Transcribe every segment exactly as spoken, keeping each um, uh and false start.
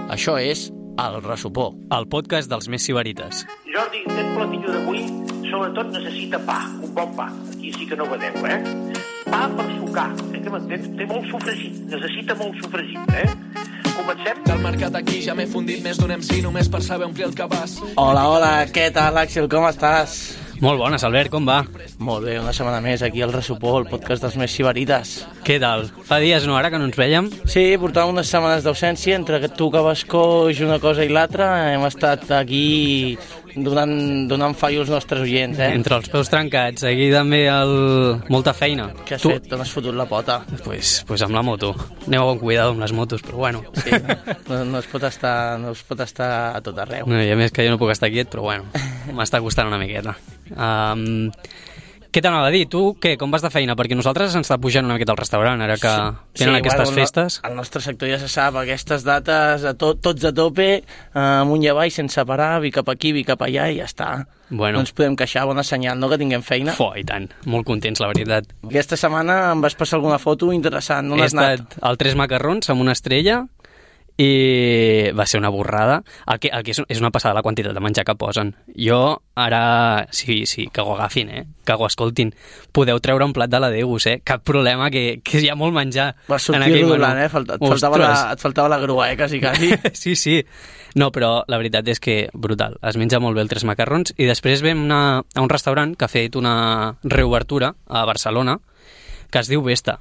Això és El Ressupó, el podcast dels més sibarites. Jordi, aquest platillo d'avui sobretot necessita pa, un bon pa. Aquí sí que no vedeu, eh? Pa per sucar, eh, que m'entens? Té molt sofregit, necessita molt sofregit, eh? Comencem? Del mercat aquí ja m'he fundit més d'un M C només per saber omplir el cabàs. Hola, hola, què tal, Àxel, com estàs? Molt bones, Albert, com va? Molt bé, una setmana més aquí al Ressupó, el podcast dels més sibarites. Què tal? Fa dies, no, ara que no ens vèiem? Sí, portàvem unes setmanes d'ausència, entre tu que vas coix una cosa i l'altra, hem estat aquí donant, donant fallo als nostres oients, eh? Entre els peus trencats, aquí també el... molta feina. Què has tu... fet? On has fotut la pota? Pues, pues amb la moto. Aneu a bon cuidado amb les motos, però bueno. Sí, no, no, es pot estar, no es pot estar a tot arreu. No, i a més que jo no puc estar quiet, però bueno, m'està costant una miqueta. Um, què t'anava a dir? Tu, què? Com vas de feina? Perquè nosaltres ens està pujant una miqueta al restaurant, ara que sí, tenen sí, aquestes bueno, festes. El nostre sector ja se sap, aquestes dates, a to, tots a tope, amunt i avall, sense parar, vi cap aquí, vi cap allà, i ja està. Bueno. No ens podem queixar, bona senyal, no?, que tinguem feina. Fo, i tant, molt contents, la veritat. Aquesta setmana em vas passar alguna foto interessant, no He n'has anat? He estat al Tres Macarrons amb una estrella, i va ser una borrada. El que, el que és, és una passada la quantitat de menjar que posen. Jo ara, sí, sí, que ho agafin, eh? Que ho escoltin. Podeu treure un plat de la Deus, eh? Cap problema, que, que hi ha molt menjar. Vas sortir rodolant, eh? Falta, et, faltava la, et faltava la grua, eh? Quasi, quasi. Sí, sí. No, però la veritat és que brutal. Es menja molt bé el Tres Macarrons i després vam anar a un restaurant que ha fet una reobertura a Barcelona que es diu Vesta.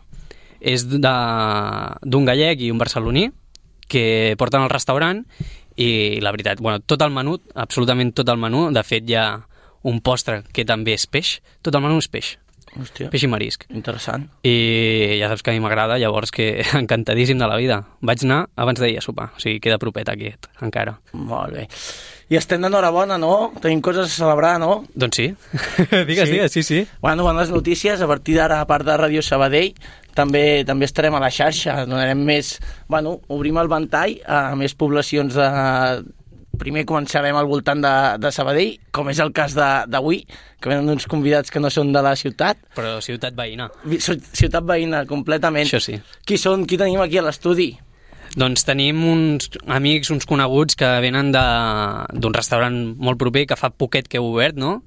És d'un gallec i un barceloní que porten al restaurant i la veritat, bueno, tot el menú, absolutament tot el menú, de fet hi ha un postre que també és peix, tot el menú és peix. Hòstia, peix i marisc. Interessant. I ja saps que a mi m'agrada, llavors que encantadíssim de la vida. Vaig anar abans d'ahir a sopar, o sigui, queda propet aquest, encara. Molt bé. I estem d'enhorabona, no? Tenim coses a celebrar, no? Doncs sí. digues, sí. digues, sí, sí. Bueno, bones notícies. A partir d'ara, a part de Ràdio Sabadell, també també estarem a la xarxa. Donarem més... Bueno, obrim el ventall a més poblacions de... Primer començarem al voltant de, de Sabadell, com és el cas d'avui, que venen uns convidats que no són de la ciutat. Però ciutat veïna. Ciutat veïna, completament. Això sí. Qui són? Qui tenim aquí a l'estudi? Doncs tenim uns amics, uns coneguts que venen d'un restaurant molt proper que fa poquet que heu obert, no?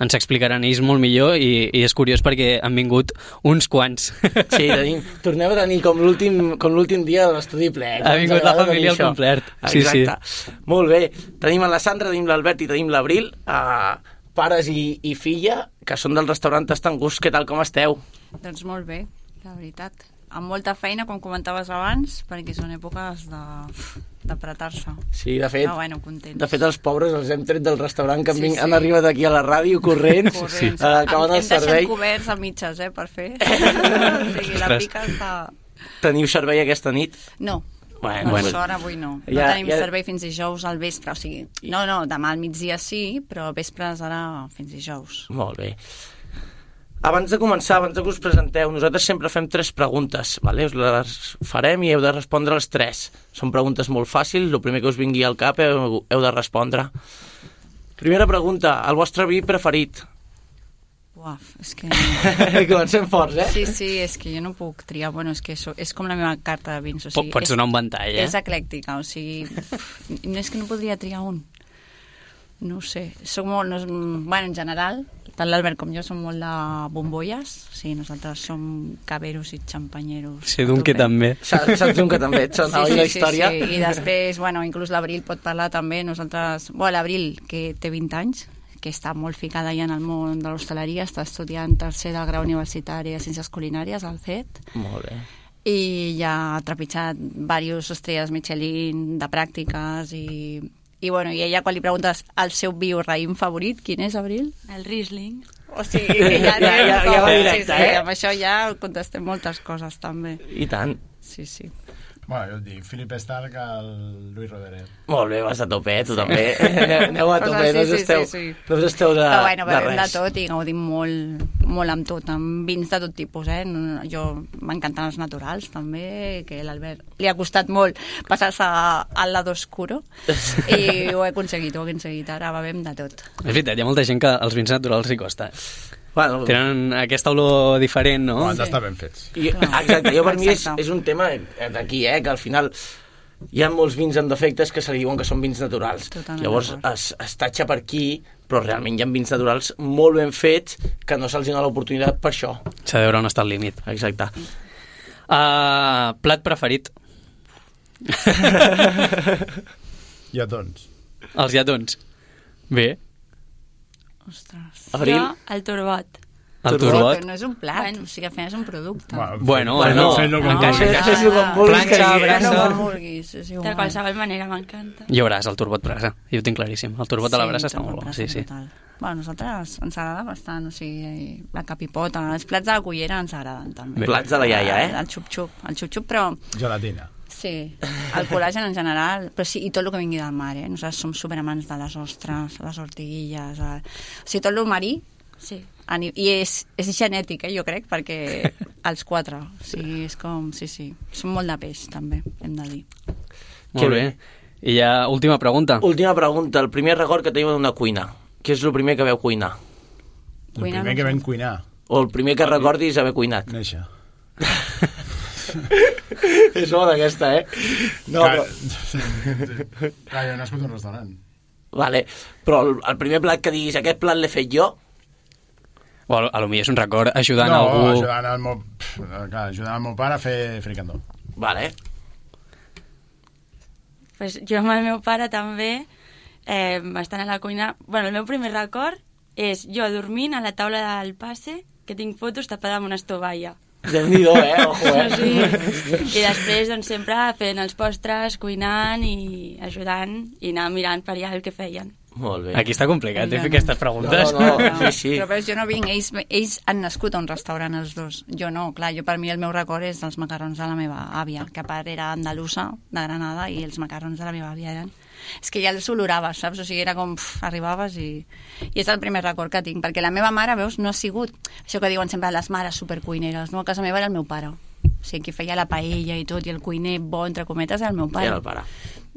Ens explicaran ells molt millor i, i és curiós perquè han vingut uns quants. Sí, tenim, tornem a tenir com l'últim dia de l'estudi ple. Ha vingut la família al complet. Sí, exacte. Sí. Molt bé. Tenim la Sandra, tenim l'Albert i tenim l'Abril, eh, pares i, i filla, que són del restaurant Tastangús. Què tal, com esteu? Doncs molt bé, la veritat. Amb molta feina, com comentaves abans, perquè són èpoques de... d'apretar-se. Sí, de fet, no, bueno, de fet els pobres els hem tret del restaurant que han, sí, sí. han arribat aquí a la ràdio corrents, corrents. Uh, acaben el servei. Hem deixat coberts a mitges, eh, per fer. O sigui, la pica està... Teniu servei aquesta nit? No. Bueno, per bueno. sort avui no. No ja, tenim ja... servei fins dijous al vespre, o sigui, no, no, demà al migdia sí, però al vespre serà fins dijous. Molt bé. Abans de començar, abans que us presenteu, nosaltres sempre fem tres preguntes, vale? Us les farem i heu de respondre les tres. Són preguntes molt fàcils, el primer que us vingui al cap heu, heu de respondre. Primera pregunta, el vostre vi preferit? Uaf, és que... Comencem forts, eh? Sí, sí, és que jo no puc triar, bueno, és que so, és com la meva carta de vins, o sigui... Pots donar un ventall, eh? És eclèctica, o sigui... No és que no podria triar un. No ho sé, soc molt... No és, bueno, en general, tant l'Albert com jo som molt de bombolles, o sigui, nosaltres som caberos i xampanyeros. Sí, d'un que també. Saps, saps d'un que també et sona, sí, sí, la història? Sí, sí, i després, bueno, inclús l'Abril pot parlar també, nosaltres... Bueno, l'Abril, que té vint anys, que està molt ficada ja en el món de l'hostaleria, està estudiant tercer del grau universitari de Ciències Culinàries, al C E T. Molt bé. I ja ha trepitjat diverses estrelles Michelin de pràctiques i... I, bueno, i ella, quan li preguntes el seu vi o raïm favorit, quin és, Abril? El Riesling. O sigui, que ja, ja, ja, ja va directe, sí, sí, eh? Amb això ja contestem moltes coses, també. I tant. Sí, sí. Bueno, jo et dic, Philip Stark al Luis Roderer. Molt bé, vas a tope, tu sí. també. Aneu, aneu a tope, sí, no us esteu, sí, sí, sí. no us esteu de, però bueno, de res. de tot i gaudim molt, molt amb tot, amb vins de tot tipus, eh? Jo m'encanten els naturals, també, que l'Albert li ha costat molt passar-se al lado oscuro i ho he aconseguit, ho he aconseguit, ara bevem de tot. És veritat, hi ha molta gent que els vins naturals hi costa. Bueno, tenen aquesta olor diferent, no? Han d'estar ben fets. I, exacte, jo per mi és, Exacte. és un tema d'aquí, eh, que al final hi ha molts vins amb defectes que se li diuen que són vins naturals. Totalment Llavors d'acord. es, es tatxa per aquí, però realment hi ha vins naturals molt ben fets que no se'ls dona l'oportunitat per això. S'ha de veure on està el límit. Exacte. Uh, plat preferit? Lletons. Els lletons. Bé. Ostres. Abril? Jo, el turbot. El Turbot. turbot. Però no és un plat, Bueno. o sigui, al final és un producte. Bueno, Bueno, fent-lo com encara- vulguis. Fes- fes-ho com vulguis, Planxa, que- brasa. No, com vulguis, és De igual. qualsevol manera, m'encanta. Ja veuràs, el turbot brasa. Jo ho tinc claríssim. El turbot a la brasa està turbot molt bo. brasa Sí, sí. brutal. Bueno, a nosaltres ens agrada bastant, o sigui, la capipota, els plats de la cullera ens agraden també. Plats de la iaia, eh? El xup-xup, el xup-xup, però Gelatina. sí, el col·lagen en general, però sí, i tot el que vingui del mar, eh? Nosaltres som superamants de les ostres, les ortiguilles, el... o sigui, tot el marí, Sí. i és, és genètic, eh, jo crec, perquè els quatre, o sigui, és com, sí, sí, són molt de peix, també, hem de dir. Molt Que bé. bé. I ja, última pregunta. Última pregunta, el primer record que teniu d'una cuina. Què és el primer que veu cuinar? El Cuinar primer no que sé. vam cuinar, O el primer que recordis haver cuinat? néixer. És bona aquesta, eh? No, Clar, però... Clar, jo he nascut a un restaurant. Vale, però el, el primer plat que diguis, aquest plat l'he fet jo, O a, a lo millor és un record ajudant no, algú... ajudant el meu, pff, clar, ajudant el meu pare a fer fricandó. vale, Pues jo amb el meu pare també, eh, bastant a la cuina... Bueno, el meu primer record és jo dormint a la taula del passe, que tinc fotos tapada amb una estovalla. Déu-n'hi-do, eh? Ojo, eh? Sí. I després, doncs, sempre fent els postres, cuinant i ajudant i anar mirant per allà el que feien. Molt bé. Aquí està complicat, eh, Ja fer no. aquestes preguntes. No, no, sí, sí. Però veus, jo no vinc, ells, ells han nascut a un restaurant els dos, jo no, clar, jo per mi el meu record és dels macarrons de la meva àvia, que a part era andalusa, de Granada, i els macarrons de la meva àvia eren... És que ja els oloraves, saps? O sigui, era com... Pff, arribaves i... I és el primer record que tinc, perquè la meva mare, veus, no ha sigut... Això que diuen sempre les mares supercuineres, no? A casa meva era el meu pare. O sigui, qui feia la paella i tot, i el cuiner bo, entre cometes, era el meu pare. Era el pare.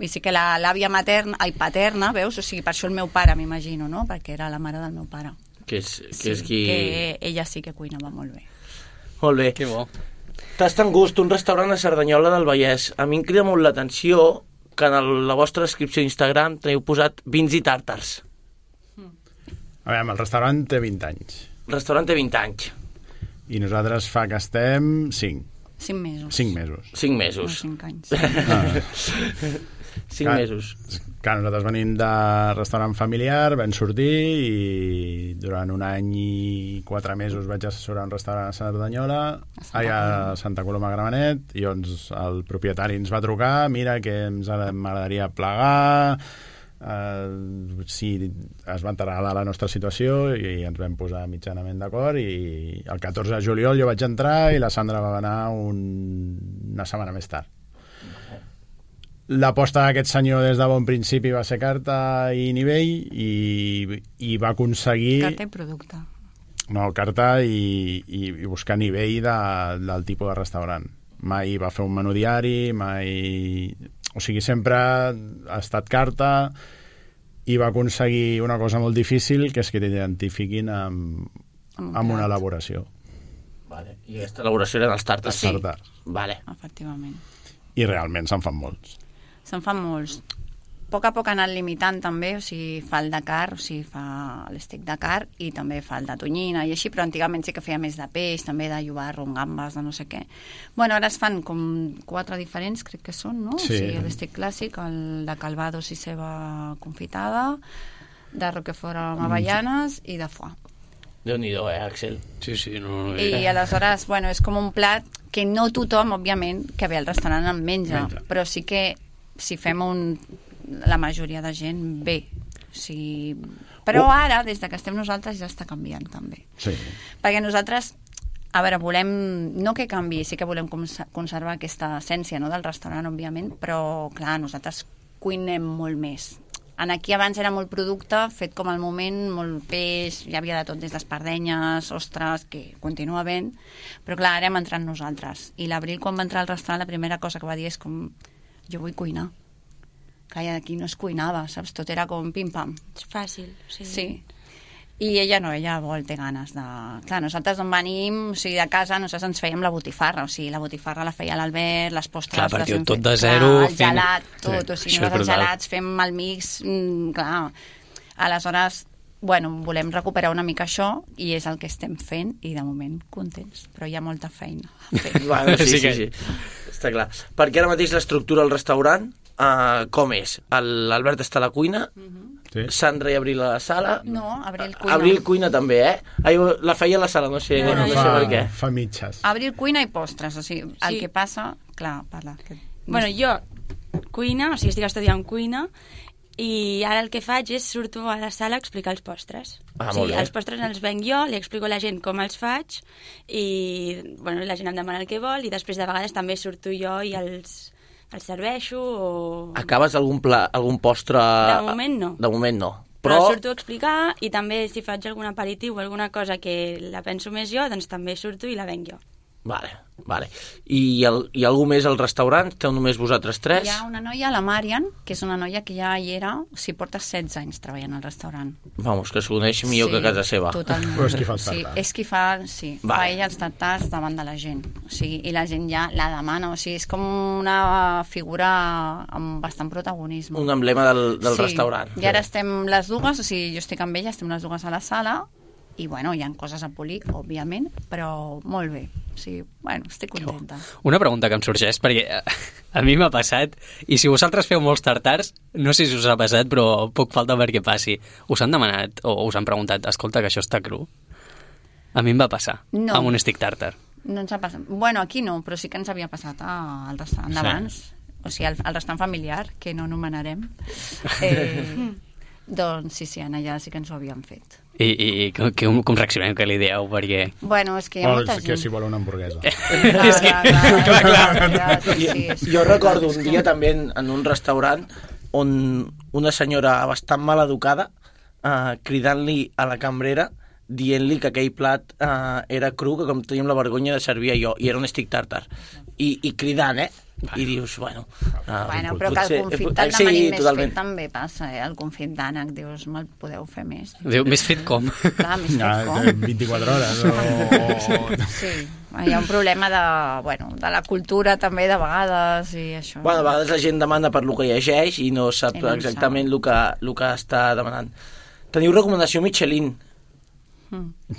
I sí que la- l'àvia materna, ai, paterna, veus? O sigui, per això el meu pare, m'imagino, no? Perquè era la mare del meu pare. Que és, que Sí, és qui... que ella sí que cuinava molt bé. Molt bé. Que bo. Tast en gust, un restaurant a Cerdanyola del Vallès. A mi em crida molt l'atenció que en el, la vostra descripció d'Instagram teniu posat vins i tàrtars. A veure, el restaurant té vint anys. El restaurant té vint anys. I nosaltres fa que estem cinc. Cinc mesos. cinc mesos. cinc No, mesos. cinc anys. cinc Clar. mesos. Clar, nosaltres venim de restaurant familiar, vam sortir i durant un any i quatre mesos vaig assessorar un restaurant a Cerdanyola, Santa ai, a Coloma. Santa Coloma Gramenet, i llavors el propietari ens va trucar, mira que ens ha- m'agradaria plegar, eh, si es va enterar de la nostra situació i ens vam posar mitjanament d'acord, i el catorze de juliol jo vaig entrar i la Sandra va anar un... una setmana més tard. L'aposta d'aquest senyor des de bon principi va ser carta i nivell, i, i va aconseguir... Carta i producte. No, carta i, i, i buscar nivell de, del tipus de restaurant. Mai va fer un menú diari, mai... O sigui, sempre ha estat carta, i va aconseguir una cosa molt difícil, que és que t'identifiquin amb, Amb un amb una plat. elaboració. Vale. I aquesta elaboració eren els tàrtars. Sí. Tartars. Vale. Efectivament. I realment se'n fan molts. Se'n fan molts. A poc a poc ha anat limitant també, o sigui, fa el de car, o sigui, fa l'estic de car i també fa el de tonyina i així, però antigament sí que feia més de peix, també de llobarro, amb gambes, de no sé què. Bueno, ara es fan com quatre diferents, crec que són, no? Sí. O sigui, l'estic clàssic, el de calvados i ceba confitada, de roquefort amb avellanes i de foie. Déu-n'hi-do, eh, Axel? Sí, sí, no... no I aleshores, bueno, és com un plat que no tothom, òbviament, que ve al restaurant en menja, Menja. però sí que si fem un... la majoria de gent ve. O sigui... Però Oh. ara, des de que estem nosaltres, ja està canviant també. Sí. Perquè nosaltres, a veure, volem... No que canvi, sí que volem cons- conservar aquesta essència, no?, del restaurant, òbviament, però, clar, nosaltres cuinem molt més. En aquí abans era molt producte, fet com al moment, molt peix, hi havia de tot, des d'espardenyes, ostres, que continua havent, però clar, ara hem entrat nosaltres. I l'Abril, quan va entrar al restaurant, la primera cosa que va dir és com, jo vull cuinar. Que aquí no es cuinava, saps? Tot era com pim-pam. És fàcil, sí. Sí. I ella no, ella vol, té ganes de... Clar, nosaltres on venim, o sigui, de casa, nosaltres ens fèiem la botifarra, o sigui, la botifarra la feia l'Albert, les postres... Clar, perquè les tot fet, de zero... Clar, el fent... gelat, tot, sí, o sigui, nosaltres els gelats, fem el mix, mm, clar. Aleshores, bueno, volem recuperar una mica això i és el que estem fent i de moment contents, però hi ha molta feina a fer. Bueno, sí, Sí sí, que- sí, està clar. Perquè ara mateix l'estructura del restaurant, uh, com és? El- L'Albert està a la cuina, Sí. Sandra i Abril a la sala... No, Abril cuina. Abril cuina també, eh? Ai, la feia a la sala, no sé, No, no, no, no jo- sé per què. fa mitges. Abril cuina i postres, o sigui, el Sí. que passa... Clar, parla. Que... Bueno, jo cuina, o sigui, estic estudiant cuina, i ara el que faig és surto a la sala a explicar els postres. Ah, o molt sigui, bé. els postres els venc jo, li explico a la gent com els faig, i bueno, la gent em demana el que vol, i després de vegades també surto jo i els, els serveixo, o... Acabes algun, pla, algun postre... De moment no. De moment no. Però... Però, surto a explicar, i també si faig algun aperitiu o alguna cosa que la penso més jo, doncs també surto i la venc jo. Vale, vale. I, el, i algú més al restaurant? Esteu només vosaltres tres? Hi ha una noia, la Marian, que és una noia que ja hi era, o sigui, porta setze anys treballant al restaurant. Vamos, que es coneix millor que a casa seva. Totalment. Però és qui fa els Sí, tartars. és qui fa, sí, Vale. fa ella els tartars davant de la gent. O sigui, i la gent ja la demana, o sigui, és com una figura amb bastant protagonisme. Un emblema del, del sí. restaurant. I ara estem les dues, o sigui, jo estic amb ella, estem les dues a la sala, i bueno, hi ha coses a polir, òbviament, però molt bé. O sigui, bueno, estic contenta. Una pregunta que em sorgeix, perquè eh, a mi m'ha passat, i si vosaltres feu molts tartars, no sé si us ha passat, però poc falta perquè passi. Us han demanat, o us han preguntat, escolta, que això està cru? A mi em va passar, No. amb un stick tartar. No ens ha passat. Bueno, aquí no, però sí que ens havia passat al restaurant Sí. d'abans. O sigui, al, al restaurant familiar, que no anomenarem. Eh, doncs sí, sí, en allà sí que ens ho havien fet. I, i com, com, com reaccionem que li dieu? Perquè... Bueno, és que hi ha O molta que gent. si vol una hamburguesa. Clar, És que- clar, clar, clar. clar, sí, sí, és Jo que- recordo un dia també en, en un restaurant on una senyora bastant mal educada eh, cridant-li a la cambrera dient-li que aquell plat eh, era cru, que com teníem la vergonya de servir jo, i era un stick tartar. I, i cridant, eh? I dius, bueno... Uh, Bueno, però que el confit eh, d'ànec sí, més totalment. fet també passa, eh? El confit d'ànec, dius, me'l podeu fer més. Diu, més fet com? Clar, més Ja, fet com. vint-i-quatre hores. O... Sí, hi ha un problema de, bueno, de la cultura també de vegades i això. Bueno, a vegades la gent demana per lo que llegeix i no sap I no en exactament el que, el que està demanant. Teniu recomanació Michelin?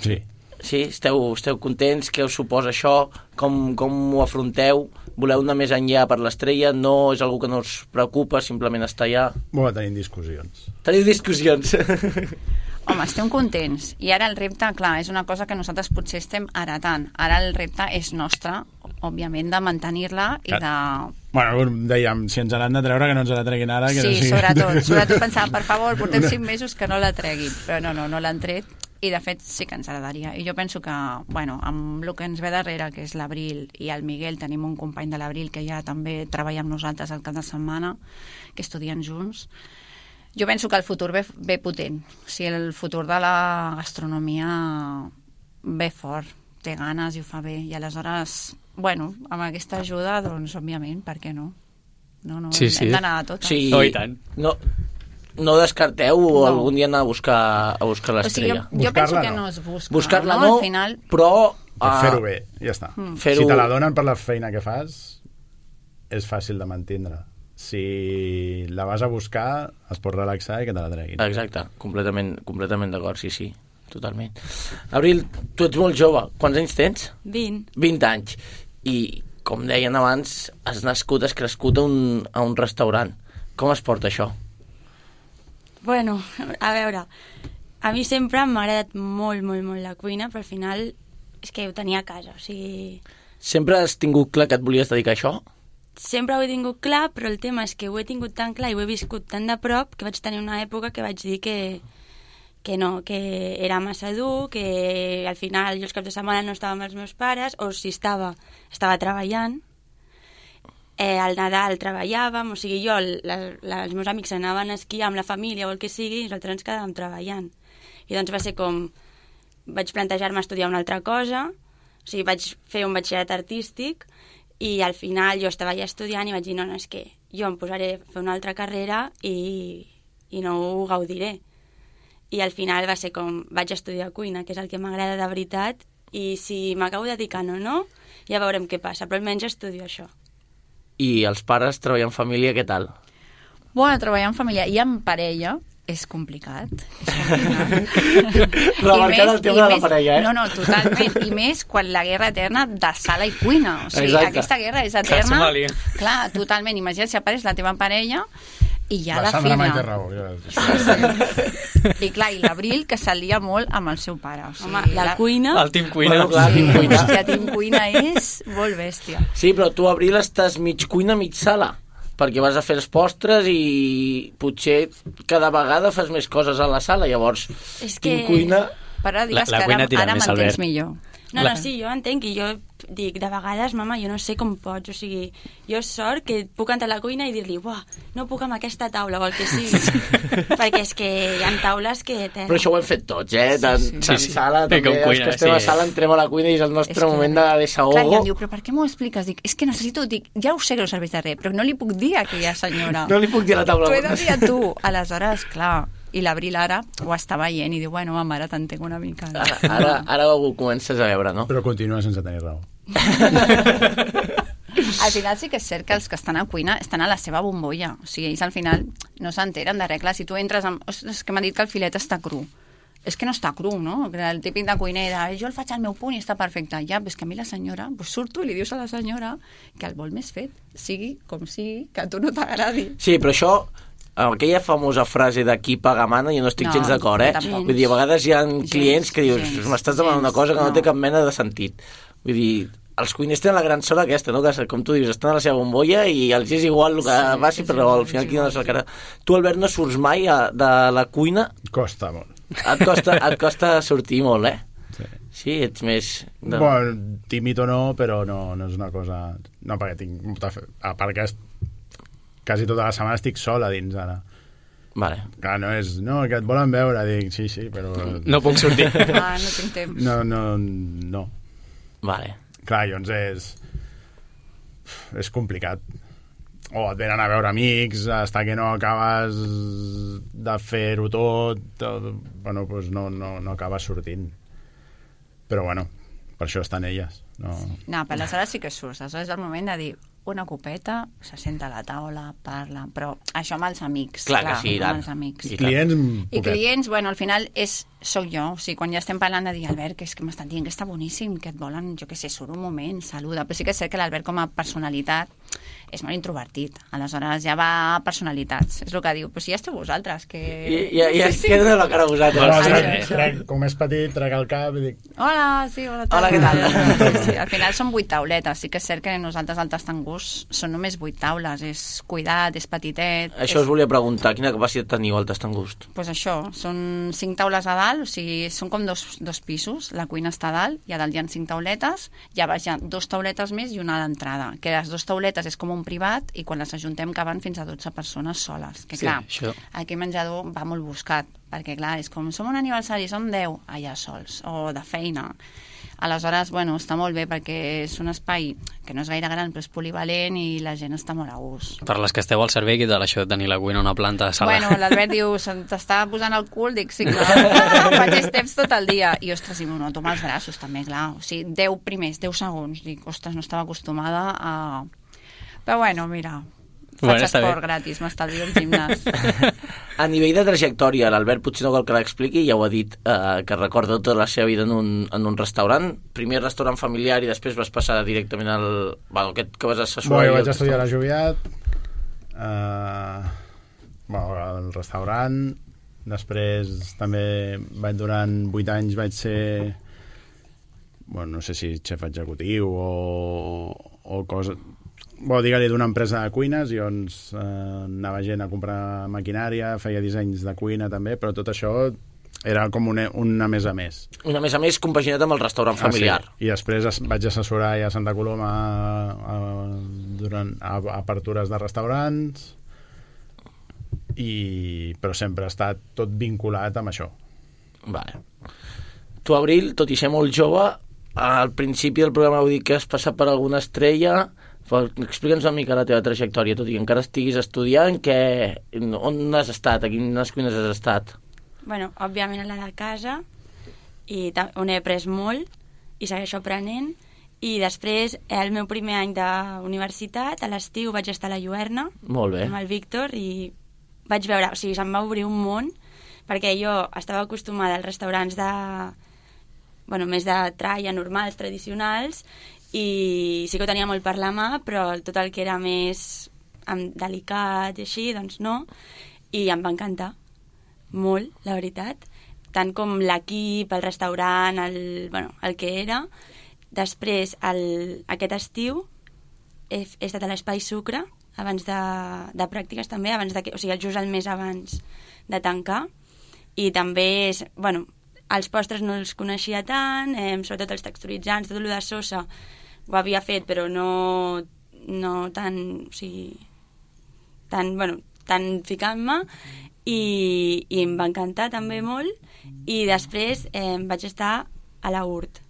Sí. Sí? Esteu, esteu contents? Què us suposa això? Com, com ho afronteu? Voleu anar més enllà per l'estrella? No és algo que no us preocupa, simplement estar allà? Bueno, tenim discussions. Teniu discussions? Home, estem contents. I ara el repte, clar, és una cosa que nosaltres potser estem heretant. Ara el repte és nostre, òbviament, de mantenir-la i de... Bueno, dèiem, si ens l'han de treure, que no ens la treguin ara. Que Sí, no sigui... sobretot. Sobretot pensar, per favor, portem cinc mesos que no la treguin. Però no, no, no l'han tret. I, de fet, sí que ens agradaria. I jo penso que, bueno, amb el que ens ve darrere, que és l'Abril i el Miguel, tenim un company de l'Abril que ja també treballa amb nosaltres al cap de setmana, que estudien junts. Jo penso que el futur ve, ve potent. O sigui, el futur de la gastronomia ve fort, té ganes i ho fa bé. I aleshores, bueno, amb aquesta ajuda, doncs, òbviament, per què no? No, no, Sí, hem, sí. hem d'anar a totes. Sí. Oh, i tant. No, no descarteu no. No. algun dia anar a buscar, a buscar O sigui, l'estrella? jo, jo penso Buscar-la que no. no es busca. Buscar-la no, no, al final... però... Per ah, fer-ho bé, ja està. Mm. Fer-ho- Si te la donen per la feina que fas, és fàcil de mantindre. Si la vas a buscar, es pot relaxar i que te la treguin. Exacte, completament, completament d'acord, sí, sí, totalment. Abril, tu ets molt jove, quants anys tens? vint. vint anys. I, com deien abans, has nascut, has crescut a un, a un restaurant. Com es porta això? Bueno, a veure, a mi sempre m'ha agradat molt, molt, molt la cuina, però al final és que ho tenia a casa, o sigui... Sempre has tingut clar que et volies dedicar a això? Sempre ho he tingut clar, però el tema és que ho he tingut tan clar i ho he viscut tan de prop que vaig tenir una època que vaig dir que, que no, que era massa dur, que al final jo els caps de setmana no estava amb els meus pares, o si estava, estava treballant. Eh, al Nadal treballàvem, o sigui, jo, la, la, els meus amics anaven a esquiar amb la família o el que sigui, i nosaltres ens quedàvem treballant. I doncs va ser com... Vaig plantejar-me estudiar una altra cosa, o sigui, vaig fer un batxillerat artístic, i al final jo estava ja estudiant i vaig dir, no, no, és que jo em posaré a fer una altra carrera i, i no ho gaudiré. i al final va ser com, vaig estudiar cuina, que és el que m'agrada de veritat, i si m'acabo dedicant o no, ja veurem què passa, però almenys estudio això. I els pares treballant en família, què tal? Bueno, treballar en família i en parella és complicat. És complicat. Remarcant el tema de la parella, eh? No, no, totalment. I més quan la guerra eterna de sala i cuina. O sigui, exacte. Aquesta guerra és eterna. Somàlia. Clar, totalment. Imagina't si apareix la teva parella i ja la, la filla. Sandra mai té raó. Ja. I clar, i l'Abril, que s'alia molt amb el seu pare. O sigui, Home, la cuina... El Team Cuina. Bueno, clar, Team Cuina. Hòstia, Team Cuina és molt bèstia. Sí, però tu, Abril, estàs mig cuina, mig sala, perquè vas a fer els postres i potser cada vegada fas més coses a la sala, llavors És que... Team Cuina... Però digues La- la que cuina ara, tira ara més, m'entens Albert. millor. No, no, sí, jo entenc, i jo dic, de vegades, mama, jo no sé com pots, o sigui, jo sort que puc entrar a la cuina i dir-li, buah, no puc amb aquesta taula, o el que sigui, perquè és que hi ha taules que... Tela. Però això ho hem fet tots, eh? Tant, Sí, sí. tant Sí, sí. sala, Sí, també com els cuina, que estem sí. a sala entrem a la cuina i és el nostre És que- moment de desahogo. Clar, i em diu, però per què m'ho expliques? Dic, és que necessito... Dic, ja ho sé que no serveix de res, però no li puc dir a aquella senyora. No li puc dir a la taula. T'ho he de dir a tu. Aleshores, clar, i l'Abril ara ho està veient i diu, bueno, mama, ara t'entenc una mica. Ara, ara, ara ho comences a veure, no? Però continua sense tenir raó. Al final sí que és cert que els que estan a cuina estan a la seva bombolla. O sigui, ells al final no s'enteren de res. Clar, si tu entres amb... Ostres, és que m'ha dit que el filet està cru. És que no està cru, no? El típic de cuiner de jo el faig al meu punt i està perfecte. Ja, però és que a mi la senyora, pues surto i li dius a la senyora que el vol més fet, sigui com sigui, que a tu no t'agradi. Sí, però això, aquella famosa frase de qui paga mana, jo no estic No, gens d'acord, eh? tampoc. Vull dir, a vegades hi ha clients que dius, gens, m'estàs demanant una gens, cosa que no, no. té cap mena de sentit. Vull dir, els cuiners tenen la gran sort aquesta, no? Que, com tu dius, estan a la seva bombolla i els és igual el que Sí, passi, és però igual, al final és qui no igual, és el cara... Tu, Albert, no surts mai a, de la cuina, Costa molt. et costa, et costa sortir molt, eh? Sí. Sí, ets més... De... Bueno, tímid o no, però no, no és una cosa... No, perquè tinc molta fe... A part que es... quasi tota la setmana estic sola dins ara. Vale. Clar, no és... No, que et volen veure. Dic, sí, sí, però... No puc sortir. Ah, no tinc temps. No, no, no. Vale. Clar, llavors és... És complicat. O et venen a veure amics, hasta que no acabes de fer-ho tot, o, bueno, doncs no, no, no acabes sortint. Però bueno, per això estan elles. No... No, però aleshores sí que surts. Aleshores és el moment de dir una copeta, se senta a la taula, parla, però això amb els amics. Clar que sí, i tant. amb els amics. I Clients, I poquet. clients, bueno, al final és, soc jo, o sigui, quan ja estem parlant de dir, Albert, que és que m'estan dient que està boníssim, que et volen, jo què sé, surt un moment, saluda, però sí que és cert que l'Albert com a personalitat és molt introvertit, aleshores ja va a personalitats, és el que diu, però si ja esteu vosaltres, que... I, ja, ja es queda de la cara a No, vosaltres. trec, trec, com és petit, trec el cap i dic... Hola, sí, hola. Hola, què tal? Sí, sí, al final són vuit tauletes, sí que és cert que nosaltres al Tastangús són només vuit taules, és cuidat, és petitet... Això és... us volia preguntar, quina capacitat teniu al Tastangust? Pues això, són cinc taules a dalt, o sigui, són com dos, dos pisos, la cuina està a dalt, i a dalt hi ha cinc tauletes, i a baix hi ha dos tauletes més i una a l'entrada, que les dues tauletes és com un privat, i quan les ajuntem caben fins a dotze persones soles, que Sí, clar, això. aquí menjador va molt buscat, perquè clar, és com, som un aniversari, som deu, allà sols, o de feina. Aleshores, bueno, està molt bé perquè és un espai que no és gaire gran, però és polivalent i la gent està molt a gust. Per les que esteu al servei, què tal això de tenir la cuina a una planta de sala? Bueno, l'Albert diu, "Se t'està posant el cul", dic, sí, clar, faig steps tot el dia. I, ostres, i m'ho noto amb els braços, també, clar. O sigui, deu primers, deu segons. Dic, ostres, no estava acostumada a... Però bueno, mira, faig Bueno, està esport bé. gratis, m'estalvio el gimnàs. A nivell de trajectòria, l'Albert potser no cal que l'expliqui, ja ho ha dit, eh, que recorda tota la seva vida en un, en un restaurant. Primer restaurant familiar i després vas passar directament al... Bueno, aquest que vas assessorar... Bueno, i vaig el estudiar a restaurant. Joviat, eh, bueno, al restaurant, després també vaig, durant vuit anys vaig ser, bueno, no sé si xef executiu o, o cosa... Bueno, digue-li d'una empresa de cuines, i on eh, anava gent a comprar maquinària, feia dissenys de cuina també, però tot això era com una, una més a més. Una més a més compaginat amb el restaurant familiar. Ah, sí. I després es, vaig assessorar ja a Santa Coloma a, a, durant, a, a apertures de restaurants, i, però sempre ha estat tot vinculat amb això. Vale. Tu, Abril, tot i ser molt jove, al principi del programa heu dit que has passat per alguna estrella. Explica'ns una mica la teva trajectòria, tot i que encara estiguis estudiant, que... on has estat, a quines cuines has estat? bueno, òbviament a la de casa, i on he après molt, i segueixo aprenent, i després, el meu primer any d'universitat, a l'estiu vaig estar a la Lluerna, Molt bé. amb el Víctor, i vaig veure, o sigui, se'm va obrir un món, perquè jo estava acostumada als restaurants de, bueno, més de tralla, normals, tradicionals, i sí que ho tenia molt per la mà, però tot el que era més delicat i així, doncs no, i em va encantar molt, la veritat, tant com l'equip, el restaurant, el, bueno, el que era. Després, el, aquest estiu, he, he estat a l'Espai Sucre, abans de, de pràctiques també, abans de, o sigui, just el mes abans de tancar, i també, és, bueno, els postres no els coneixia tant, eh, sobretot els texturitzants, tot el de sosa ho havia fet, però no, no tan, o sigui, tan, bueno, tan ficant-me, i, i em va encantar també molt, i després eh, vaig estar a la U R T.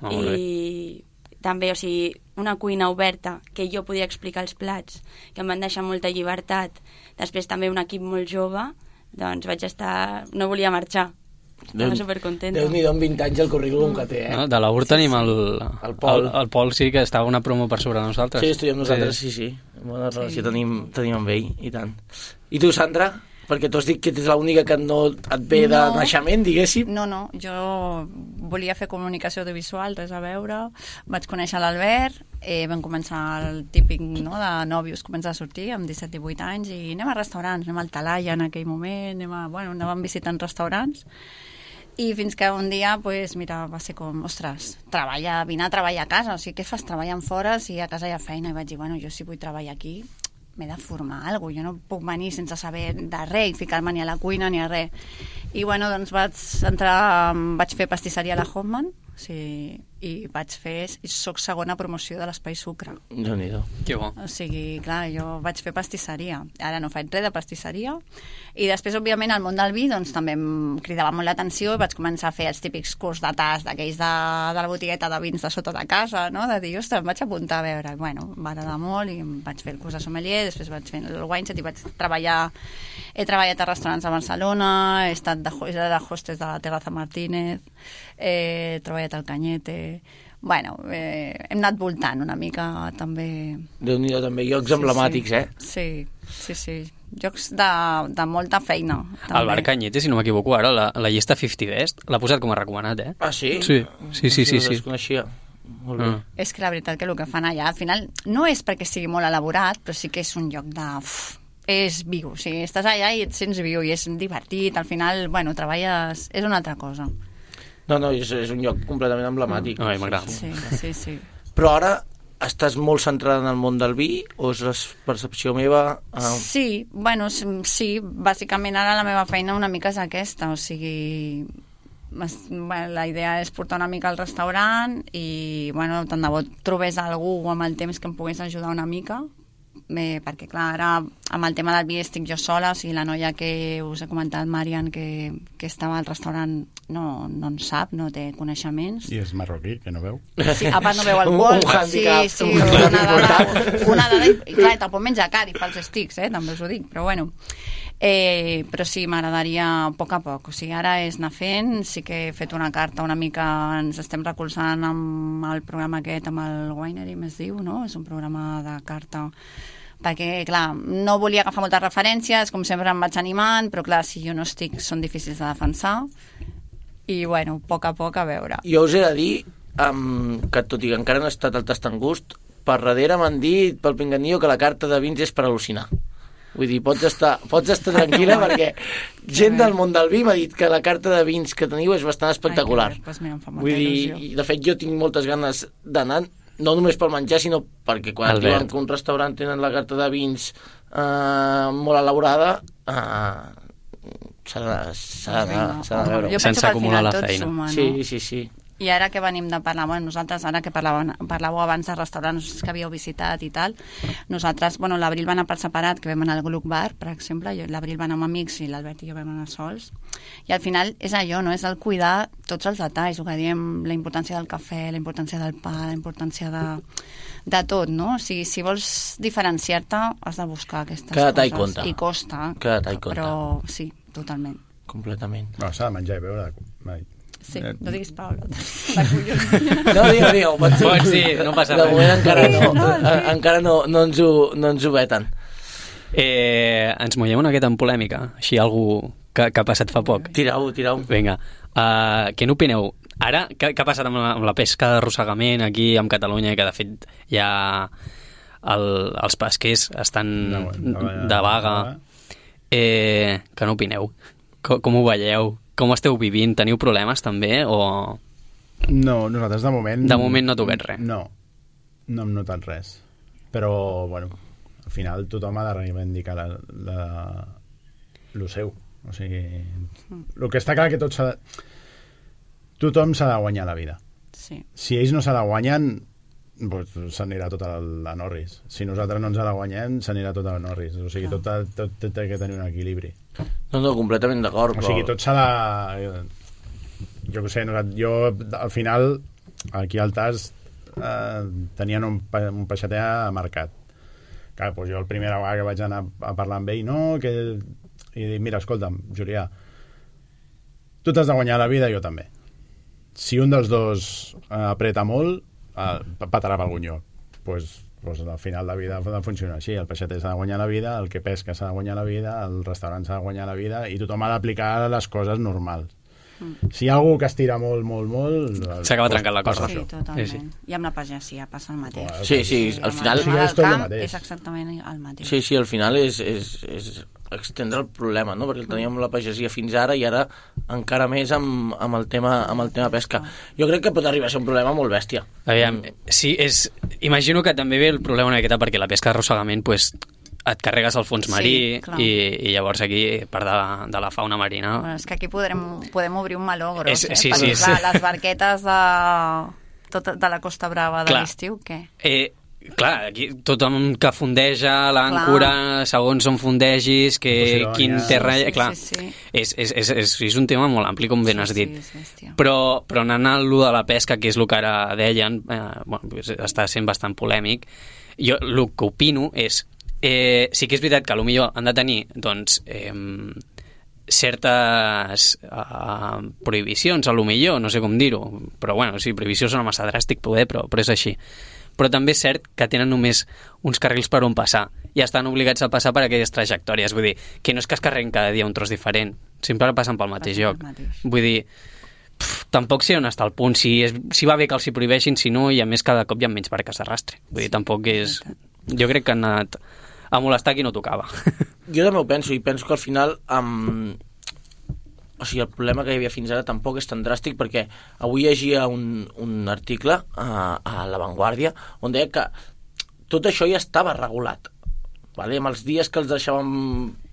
Oh, I també, o sigui, una cuina oberta, que jo podia explicar els plats, que em van deixar molta llibertat. Després també un equip molt jove, doncs vaig estar... no volia marxar. Estava supercontenta. Déu-n'hi-do amb vint anys el currículum que té, eh? No, de la U R tenim el, El Pol. el, el Pol sí que estava una promo per sobre nosaltres. Sí, estudiem nosaltres, sí, sí. Bona relació tenim, tenim amb ell, i tant. I tu, Sandra? Perquè tu has dit que ets l'única que no et ve de No. naixement, diguéssim. No, no, jo volia fer comunicació audiovisual, res a veure. Vaig conèixer l'Albert, eh, vam començar el típic, no, de nòvios, començar a sortir amb disset divuit anys, i anem a restaurants, anem al Talaia en aquell moment, anem a, bueno, anàvem visitant restaurants, i fins que un dia, pues, mira, va ser com, ostres, treballa, vine a treballar a casa, o sigui, què fas treballant fora si a casa hi ha feina? I vaig dir, bueno, jo si vull treballar aquí, m'he de formar alguna cosa, jo no puc venir sense saber de res i ficar-me ni a la cuina ni a res. I bueno, doncs vaig entrar, vaig fer pastisseria a la Hoffman, sí, i vaig fer, i soc segona promoció de l'Espai Sucre. Déu-n'hi-do. Que bo. O sigui, clar, jo vaig fer pastisseria. Ara no faig res de pastisseria. I després, òbviament, al món del vi doncs, també em cridava molt l'atenció i vaig començar a fer els típics curs de tas d'aquells de, de la botigueta de vins de sota de casa, no? De dir, ostres, em vaig apuntar a veure. Bueno, em va agradar molt i em vaig fer el curs de sommelier, després vaig fer el wineset i vaig treballar... He treballat a restaurants a Barcelona, he estat de, he de hostess de la Terraza Martínez, he treballat al Cañete... Bueno, eh, hem anat voltant una mica també. Déu-n'hi-do, també, llocs Sí, emblemàtics, sí. eh? Sí, sí, sí. Llocs de, de molta feina. També. El Bar Cañete, si no m'equivoco, ara la, la llista cinquanta Best l'ha posat com a recomanat, eh? Ah, sí? Sí, sí, sí, sí, No sí. es coneixia. Molt bé. Mm. És que la veritat que el que fan allà, al final, no és perquè sigui molt elaborat, però sí que és un lloc de... Uf, és viu, o sigui, estàs allà i et sents viu i és divertit, al final, bueno, treballes... És una altra cosa. No, no, és, és un lloc completament emblemàtic. Ai, m'agrada. Sí, sí, sí. Però ara estàs molt centrada en el món del vi o és la percepció meva? Ah, Sí, bueno, s- sí, bàsicament ara la meva feina una mica és aquesta, o sigui, m'es- bueno, la idea és portar una mica al restaurant i, bueno, tant de bo trobés algú amb el temps que em pogués ajudar una mica, eh, perquè, clar, ara amb el tema del vi estic jo sola, o sigui, la noia que us he comentat, Marian, que, que estava al restaurant, no, no en sap, no té coneixements. I és marroquí, que no veu. Sí, a part no veu alcohol. Un- un handicap, sí, sí, un una handicap dada, una dada, i, i clar, te'l pot menjar car i fa els estics, eh, també us ho dic, però bueno. Eh, però sí, m'agradaria a poc a poc, o sigui, ara és anar fent, sí que he fet una carta una mica, ens estem recolzant amb el programa aquest, amb el Winery, més diu, no? És un programa de carta, perquè, clar, no volia agafar moltes referències, com sempre em vaig animant, però clar, si jo no estic, són difícils de defensar, i bueno, a poc a poc a veure. jo us he de dir um, que tot i que encara no he estat al tast en gust, per darrere m'han dit pel pinganillo que la carta de vins és per al·lucinar. Vull dir, pots estar, pots estar tranquil·la perquè gent del món del vi m'ha dit que la carta de vins que teniu és bastant espectacular. Ai, que bé, doncs mira, em fa molta Vull dir, il·lusió. i de fet jo tinc moltes ganes d'anar, no només pel menjar, sinó perquè quan Albert. diuen que un restaurant tenen la carta de vins eh, molt elaborada, eh, s'ha de- s'ha d'anar s'ha de veure. Jo Sense penso que al acumular final la tot feina. suma, no? Sí, sí, sí. I ara que venim de parlar, bueno, nosaltres, ara que parlàveu, parlàveu abans de restaurants que havíeu visitat i tal, nosaltres, bueno, l'Abril va anar per separat, que vam anar al Gluck Bar, per exemple, jo- l'Abril va anar amb amics i l'Albert i jo vam anar sols, i al final és allò, no? És el cuidar tots els detalls, el que diem, la importància del cafè, la importància del pa, la importància de, de tot, no? O sigui, si vols diferenciar-te, has de buscar aquestes Cada detall coses. compta. I costa. Cada detall compta. Però sí, totalment. completament. No, s'ha de menjar i beure. Mai. Sí, no diguis Paolo. La collons. No, digue, digue, pots, Pots dir, no passa de res. moment encara no, No, sí. eh, encara no, no, ens ho, no ens ho veten. Eh, ens mollem una miqueta en polèmica, així algú que, que ha passat fa poc. Tirau, tirau. Vinga, uh, què n'opineu? Ara, què, què ha passat amb la, amb la pesca d'arrossegament aquí a Catalunya, que de fet ja el, els pesquers estan No, no, no, de vaga? Eh, què n'opineu? Com, com ho veieu? Com esteu vivint? Teniu problemes també? O... No, nosaltres de moment... De moment no toquet res. No, no hem notat res. Però, bueno, al final tothom ha de reivindicar la, la, lo seu. O sigui, el que està clar que tot s'ha de... Tothom s'ha de guanyar la vida. Sí. Si ells no se la guanyen, doncs s'anirà tot a la Norris. Si nosaltres no ens la guanyem, s'anirà tot a la Norris. O sigui, tot, tot, tot, tot té que tenir un equilibri. No, no, completament d'acord. O sigui, tot s'ha de... Jo què sé, jo al final, aquí al Tas, eh, tenien un, un peixater marcat. Clar, doncs jo el primera vegada que vaig anar a parlar amb ell, no, que... I dic, mira, escolta'm, Julià, tu t'has de guanyar la vida, jo també. Si un dels dos eh, apreta molt, eh, patarà pel gunyó. Doncs pues, pues, al final la vida funciona així. El peixater s'ha de guanyar la vida, el que pesca s'ha de guanyar la vida, el restaurant s'ha de guanyar la vida, i tothom ha d'aplicar les coses normals. Mm. Si hi ha algú que estira molt, molt, molt... S'acaba trencant la cosa. Sí, totalment. Sí, sí. I amb la pagesia passa el mateix. Sí, sí, al final... Sí, és tot el camp mateix. és exactament el mateix. Sí, sí, al final és, és, és extendre el problema, no? Perquè el teníem la pagesia fins ara i ara encara més amb, amb, el tema, amb el tema pesca. Jo crec que pot arribar a ser un problema molt bèstia. Aviam, sí, és... Imagino que també ve el problema una miqueta perquè la pesca d'arrossegament, pues, et carregues el fons marí, Sí, i, i llavors aquí, part de, de la fauna marina... Bueno, és que aquí podrem, podem obrir un meló gros, És- eh? sí, Perquè, sí, clar, sí. les barquetes de, tot, de la Costa Brava de Clar. l'estiu, què? Eh, clar, aquí tothom que fondeja l'àncora, segons on fondegis, que Posidònia. quin terra... Sí, sí, clar, sí, sí. És, és, és, és, és un tema molt ampli, com ben has dit. Sí, sí, hòstia. Però, però anant a allò de la pesca, que és el que ara deien, eh, bueno, pues està sent bastant polèmic, jo el que opino és, eh, sí que és veritat que potser han de tenir doncs, eh, certes eh, prohibicions, a lo millor, no sé com dir-ho, però bueno, sí, prohibició sona massa dràstic poder, però, però és així. Però també és cert que tenen només uns carrils per on passar i estan obligats a passar per aquelles trajectòries. Vull dir, que no és que es carreguen cada dia un tros diferent, sempre passen pel mateix Passen lloc. pel mateix. Vull dir, pff, tampoc sé on està el punt, si, és, si va bé que els hi prohibeixin, si no, i a més cada cop hi ha menys barques d'arrastre. Vull dir, tampoc és... Jo crec que han anat a molestar qui no tocava. Jo també ho penso, i penso que al final um, o sigui, el problema que hi havia fins ara tampoc és tan dràstic, perquè avui llegia un, un article a, a La Vanguardia on deia que tot això ja estava regulat, vale? Amb els dies que els deixàvem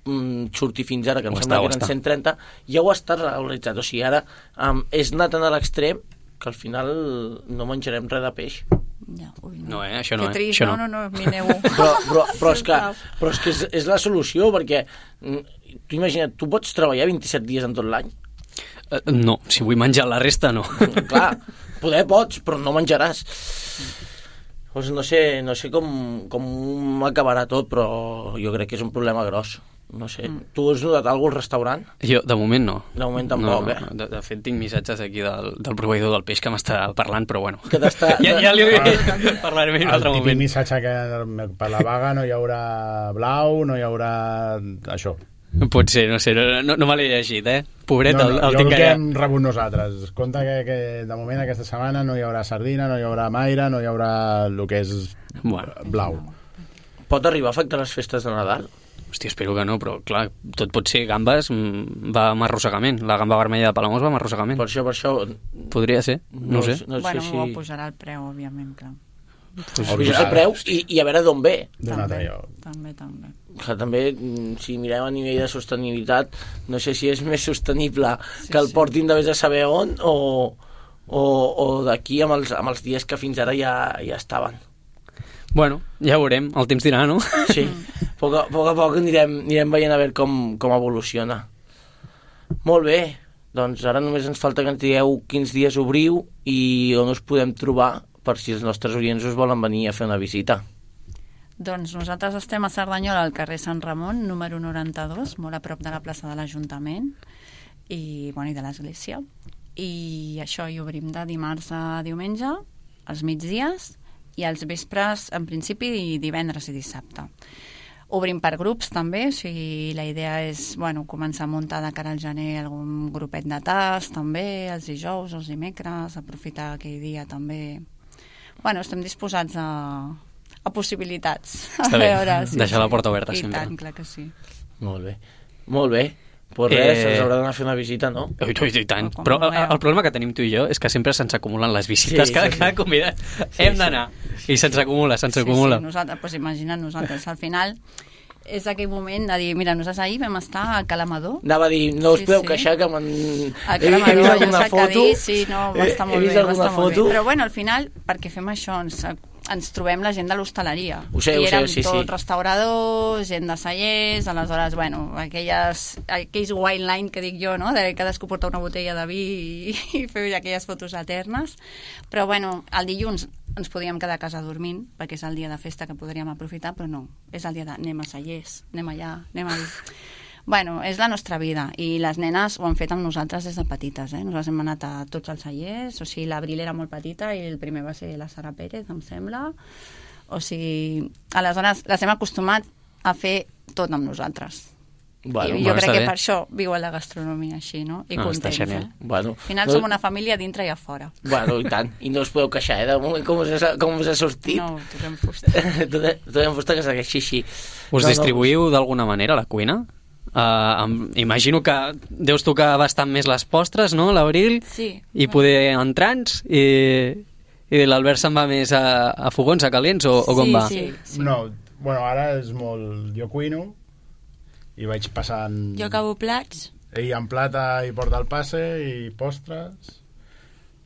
mm, sortir fins ara, que em Ho sembla està, que ho eren està. cent trenta, ja ho està regularitzat. O sigui, ara um, és anar tan a l'extrem que al final no menjarem res de peix. Ja, ui, No, eh? Això no, que eh? trist, Això no, no. no, no, mineu. Però, però, però és que, però és, que és, és la solució, perquè mm, tu imagina't, tu pots treballar vint-i-set dies en tot l'any. Eh, No, si vull menjar la resta, no. Clar, poder pots, però no menjaràs. Doncs no sé, no sé com, com acabarà tot, però jo crec que és un problema gros. No sé, mm. tu has notat alguna cosa al restaurant? Jo, de moment, no. De moment tampoc, no, eh? no. De, de fet, tinc missatges aquí del, del proveïdor del peix que m'està parlant, però bueno. Que t'està... ja, ja li parlaré en un El altre típic moment. missatge que per la vaga no hi haurà blau, no hi haurà això. Pot ser, no sé, no, no, no me l'he llegit, eh? Pobret, no, el, no, el jo tinc el que allà. hem rebut nosaltres. Compte que, que de moment aquesta setmana no hi haurà sardina, no hi haurà maire, no hi haurà el que és Bueno. blau. Pot arribar a afectar les festes de Nadal? Hòstia, espero que no, però clar, tot pot ser gambes, mm, va amb arrossegament. La gamba vermella de Palamós va amb arrossegament. Per això, per això... Podria ser, no, no sé. No bueno, sé ho si... posarà el preu, òbviament, clar. Pues, Pujar el preu i, i a veure d'on ve. D'un altre lloc. També, també. Que també, mm, si mirem a nivell de sostenibilitat, no sé si és més sostenible Sí, que el sí. portin de vés a saber on o, o, o d'aquí amb els, amb els dies que fins ara ja, ja estaven. Bueno, ja ho veurem, el temps dirà, no? Sí, a poc a poc, a poc anirem, anirem veient a veure com, com evoluciona. Molt bé, doncs ara només ens falta que ens digueu quins dies obriu i on us podem trobar per si els nostres oients us volen venir a fer una visita. Doncs nosaltres estem a Cerdanyola, al carrer Sant Ramon, número noranta-dos, molt a prop de la plaça de l'Ajuntament. i, bueno, i de l'església. I això hi obrim de dimarts a diumenge, als migdies, i als vespres, en principi, divendres i dissabte. Obrim per grups, també, o sigui, la idea és, bueno, començar a muntar de cara al gener algun grupet de tas, també, els dijous, els dimecres, aprofitar aquell dia, també. Bueno, estem disposats a, a possibilitats. Està a bé, veure, sí, deixar sí. la porta oberta I sempre. tant, clar que sí. Molt bé. Molt bé. Pues res, Eh, ens haurà d'anar a fer una visita, no? Ui, ui, i tant. Com Però vulgueu. el problema que tenim tu i jo és que sempre se'ns acumulen les visites. Sí, cada, sí, sí. cada convidat hem sí. d'anar. I se'ns acumula, se'ns Sí, acumula. sí, nosaltres, doncs imagina't nosaltres. Al final és aquell moment de dir, mira, nosaltres ahir vam estar a Calamador. Anava a dir, no us Sí, podeu sí. queixar que m'han... A He, he vist Calamador, jo alguna sé que foto... dir, sí, no, va estar he, molt he vist bé, va alguna estar molt foto... bé. Però bueno, al final, perquè fem això, ens, ens trobem la gent de l'hostaleria. Ho sé, I ho sé, érem sí, sí. tot restauradors, gent de cellers, aleshores, bueno, aquelles, aquells wine line que dic jo, no?, de cadascú porta una botella de vi i, i fer aquelles fotos eternes. Però bueno, el dilluns ens podíem quedar a casa dormint, perquè és el dia de festa que podríem aprofitar, però no, és el dia de anem a cellers, anem allà, anem allà. Bueno, és la nostra vida, i les nenes ho han fet amb nosaltres des de petites, eh? Nosaltres hem anat a tots els cellers, o sigui, l'Abril era molt petita i el primer va ser la Sara Pérez, em sembla. O sigui, aleshores les hem acostumat a fer tot amb nosaltres. Bueno, I jo bueno, crec està que bé. per això viu a la gastronomia així, no? I Ah, està contents, genial. eh? Bueno, Al final no- som una família a dintre i a fora. Bueno, i tant. I no us podeu queixar, eh? De moment, com us ha, com us ha sortit? No, toquem fusta. tot, tot en fusta que segueixi així. Us No, no. distribuïu d'alguna manera la cuina? Uh, em, imagino que deus tocar bastant més les postres, no, l'Abril? Sí. I poder entrants i, i l'Albert se'n va més a, a fogons, a calents o, o com Sí, va? sí. No, bueno, ara és molt... Jo cuino i vaig passant... Jo acabo plats. Ell en plata i porta el passe i postres,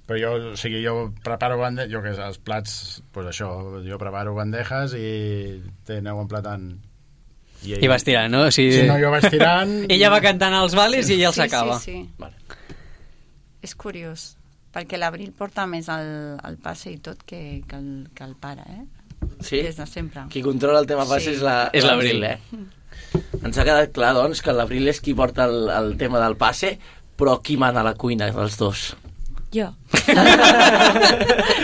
però jo, o sigui, jo preparo bandejes, jo que sé, els plats, pues això, jo preparo bandejes i te aneu emplatant. I, ell, I vas tirant, no? O sigui, Si no, jo vaig tirant... ella va cantant els vales i ell els Sí, acaba. sí, sí. Vale. És curiós, perquè l'Abril porta més el, el passe i tot que, que, el, que el pare, eh? Sí? Des de sempre. Qui controla el tema passe Sí. és la- És l'Abril. eh? Ens ha quedat clar, doncs, que l'Abril és qui porta el, el tema del passe, però qui mana a la cuina dels dos? Jo.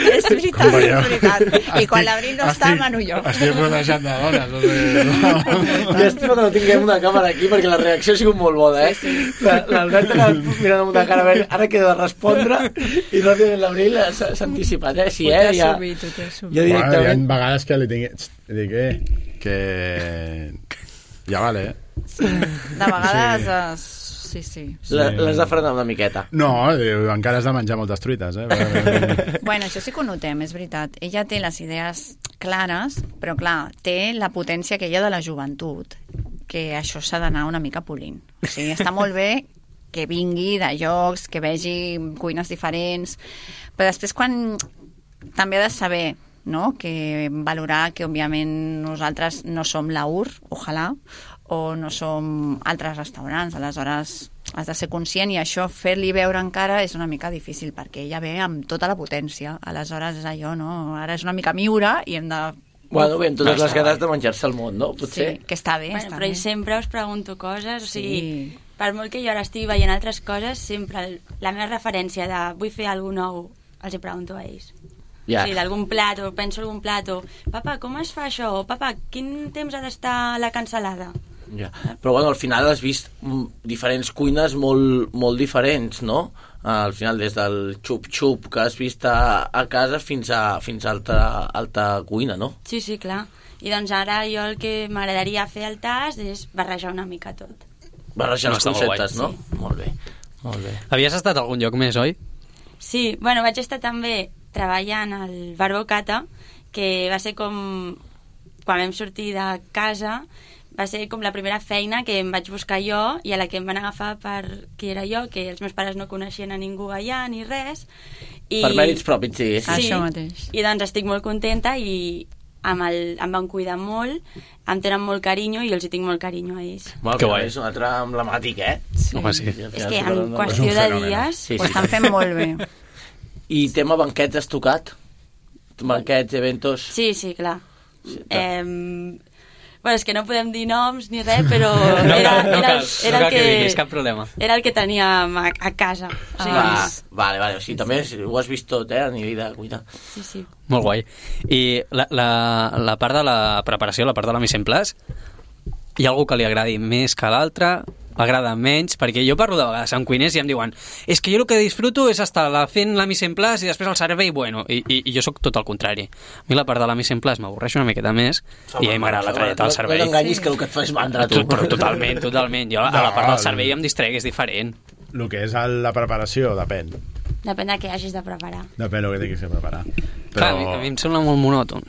És veritat, Com veieu. és veritat. I Estic- quan l'Abril no està, estic- mano jo. Estic rodejat de dones. O sigui, Llàstima que no tinguem una càmera aquí perquè la reacció ha sigut molt bona, eh? Sí, sí. La- L'Albert ha anat mirant amb una cara, a veure, ara queda de respondre i ràpidament l'Abril s'ha s'ha anticipat, eh? Sí, Ho eh? t'he Ja, assumit, ho t'he assumit. ja Bueno, hi ha directament... vegades que li tinc... Dic, eh, que... Ja vale, eh? De vegades, es... sí, sí. La- L'has de frenar una miqueta. No, diu, encara has de menjar moltes truites, eh? Bueno, això sí que ho notem, és veritat. Ella té les idees clares, però clar, té la potència aquella de la joventut, que això s'ha d'anar una mica polint. O sigui, està molt bé que vingui de llocs, que vegi cuines diferents, però després quan també ha de saber, no?, que valorar que òbviament nosaltres no som la U R, ojalà, o no som altres restaurants, aleshores has de ser conscient i això fer-li veure encara és una mica difícil perquè ella ve amb tota la potència, aleshores és allò, no? Ara és una mica miura i hem de... Bueno, bé, amb totes les ganes de menjar-se el món, no? Potser. Sí, que està bé, Bueno, està però bé. sempre us pregunto coses, o sigui, Sí. per molt que jo ara estigui veient altres coses, sempre el, la meva referència de vull fer alguna nou, els hi pregunto a ells. Ja. O sigui, d'algun plat, o penso algun plat, o papa, com es fa això? O papa, quin temps ha d'estar la cansalada? Ja. Però bueno, al final has vist mm, diferents cuines molt, molt diferents, no? Al final, des del xup-xup que has vist a, a casa fins a, fins a alta, alta cuina, no? Sí, sí, clar. I doncs ara jo el que m'agradaria fer al tas és barrejar una mica tot. Barrejar No, els està molt conceptes, no? guai, Molt bé, molt bé. Havies estat a algun lloc més, oi? Sí, bueno, vaig estar també treballant al Bar Bocata, que va ser com... Quan vam sortir de casa, va ser com la primera feina que em vaig buscar jo i a la que em van agafar per qui era jo, que els meus pares no coneixien a ningú allà ni res. I... Per mèrits propis, sí. sí. Ah, Això mateix. I doncs estic molt contenta i amb el, em van cuidar molt, em tenen molt carinyo i jo els hi tinc molt carinyo a ells. Molt Que que guai. És un altre emblemàtic, eh? Sí. Home, sí. I al És final que t'ho en donen- qüestió És un de fenomen. dies... Sí, Ho sí. estan fent molt bé. I tema banquets has tocat? Banquets, eventos... Sí, sí, clar. Sí, Eh, Bueno, és que no podem dir noms ni res, però No era, cal, no era, cal, era no cal el que que, diguis, cap problema. era el que teníem a, a casa. O sigui, Ah, vale, vale, o sigui, també ho has vist tot, eh, a nivell de cuina. sí, sí. Molt guai. I la, la, la part de la preparació, la part de la mise en place, hi ha algú que li agradi més que l'altre, m'agrada menys, perquè jo parlo de vegades amb cuiners i em diuen és que jo el que disfruto és estar la, fent la mise en place i després el servei, bueno, i, i, i jo sóc tot el contrari. A mi la part de la mise en place m'avorreix una miqueta més i a mi m'agrada la trajectòria del servei. No t'enganyis que el que et fa és mandra, tu. Però totalment, totalment. Jo a la part del servei em distrec, és diferent. El que és el, la preparació depèn. Depèn de què hagis de preparar. Depèn del que tinguis que preparar. Però... Clar, a, mi, a mi em sembla molt monòton.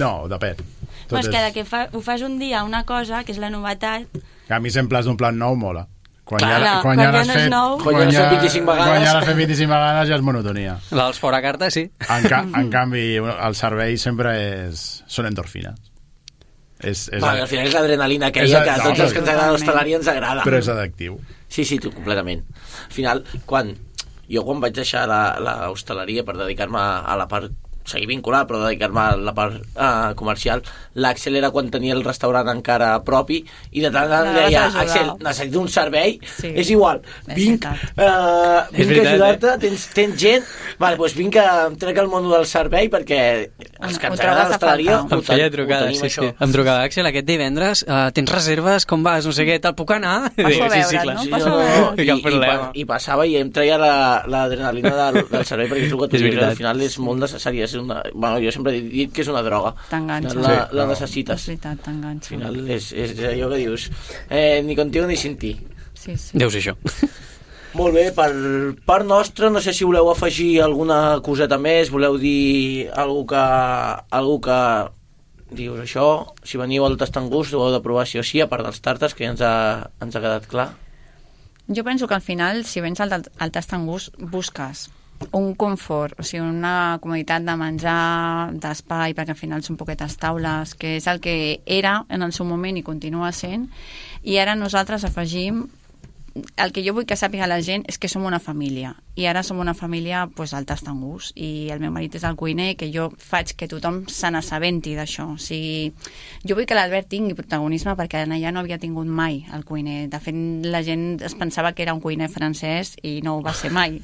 No, depèn. Però és que de que fa, ho fas un dia una cosa, que és la novetat... Que a mi sempre d'un plat nou mola. Quan Clar, ja, quan ja ja l'has no és fet, nou. Quan ja l'has fet vint-i-cinc vegades. Quan ja l'has fet vint-i-cinc vegades ja és monotonia. La dels fora carta, sí. En, ca en canvi, el servei sempre és... són endorfines. És, és Vale, al final és l'adrenalina aquella que a tots els que ens agrada l'hostaleria ens agrada. Però és addictiu. Sí, sí, tu, completament. Al final, quan jo quan vaig deixar l'hostaleria per dedicar-me a la part seguir vinculat, però dedicar-me a la part uh, comercial, l'Àxel era quan tenia el restaurant encara propi i de tant en tant deia, Àxel, necessito un servei, sí. És igual, vinc, uh, vinc a ajudar-te, eh? tens, tens gent, vale, doncs vinc a trec el món del servei perquè els que ens agrada l'hostaleria em feia trucada, sí, sí. Em trucava, Àxel, aquest divendres uh, tens reserves, com vas, no sé què, te'l puc anar? Passo a veure, sí, sí, no? Sí, Passo no, a veure. I, i, i, i passava i em treia l'adrenalina la, del, del servei perquè és el que tu dius, al final és molt necessari, és una, bueno, jo sempre he dit que és una droga. T'enganxa. La, sí, la necessites. És veritat, t'enganxa. Al final és, és allò que dius, eh, ni contigo ni sin ti. Sí, sí. Deu ser això. Molt bé, per part nostra, no sé si voleu afegir alguna coseta més, voleu dir alguna que, algú que dius això, si veniu al Tastangús ho heu de provar sí o sí, a part dels tàrtars, que ja ens ha, ens ha quedat clar. Jo penso que al final, si vens al, al Tastangús, busques un confort, o sigui, una comoditat de menjar, d'espai, perquè al final són poquetes taules, que és el que era en el seu moment i continua sent, i ara nosaltres afegim el que jo vull que sàpiga la gent és que som una família, i ara som una família pues, al Tastangús, i el meu marit és el cuiner, que jo faig que tothom se n'assabenti d'això. O sigui, jo vull que l'Albert tingui protagonisme perquè allà no havia tingut mai el cuiner. De fet, la gent es pensava que era un cuiner francès i no ho va ser mai,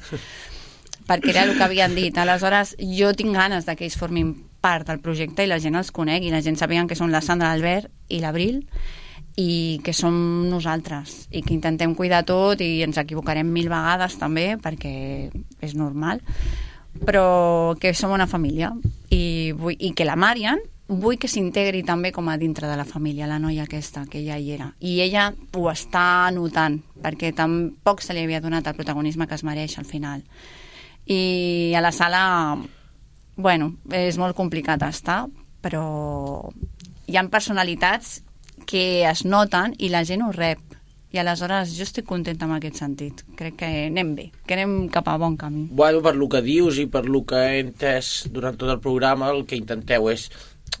perquè era el que havien dit. Aleshores, jo tinc ganes de que ells formin part del projecte i la gent els conegui, i la gent sàpiga que són la Sandra, l'Albert i l'Abril, i que som nosaltres, i que intentem cuidar tot, i ens equivocarem mil vegades també, perquè és normal, però que som una família, i, vull, i que la Marian vull que s'integri també com a dintre de la família, la noia aquesta, que ja hi era, i ella ho està notant, perquè tampoc se li havia donat el protagonisme que es mereix al final. I a la sala, bueno, és molt complicat estar, però hi ha personalitats que es noten i la gent ho rep, i aleshores jo estic contenta en aquest sentit. Crec que anem bé, que anem cap a bon camí. Bueno, per lo que dius i per lo que he entès durant tot el programa, el que intenteu és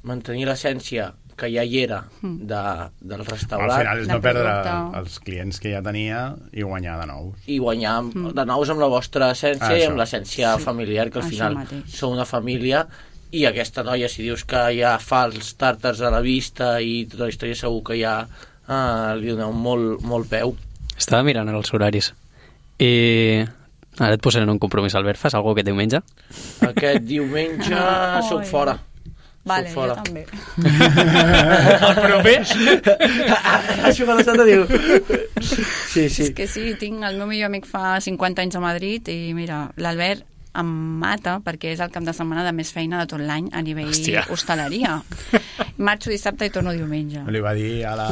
mantenir l'essència que ja hi era de, del restaurant. Al final és no perdre els clients que ja tenia i guanyar de nous. I guanyar de nous amb la vostra essència ah, i amb l'essència sí. familiar, que al això final mateix. Sou una família. I aquesta noia, si dius que ja fa els tàrtars a la vista i tota la història, segur que ja ah, li doneu molt, molt peu. Estava mirant els horaris i ara et posaré en un compromís, Albert. Fas alguna cosa aquest diumenge? Aquest diumenge oh, soc fora. Vale, soc fora. jo també. El proper? Això que la Santa diu. Sí, sí. És que sí, tinc el meu millor amic fa cinquanta anys a Madrid i mira, l'Albert em mata perquè és el cap de setmana de més feina de tot l'any a nivell Hòstia. hostaleria. Marxo dissabte i torno diumenge. Li va dir a la,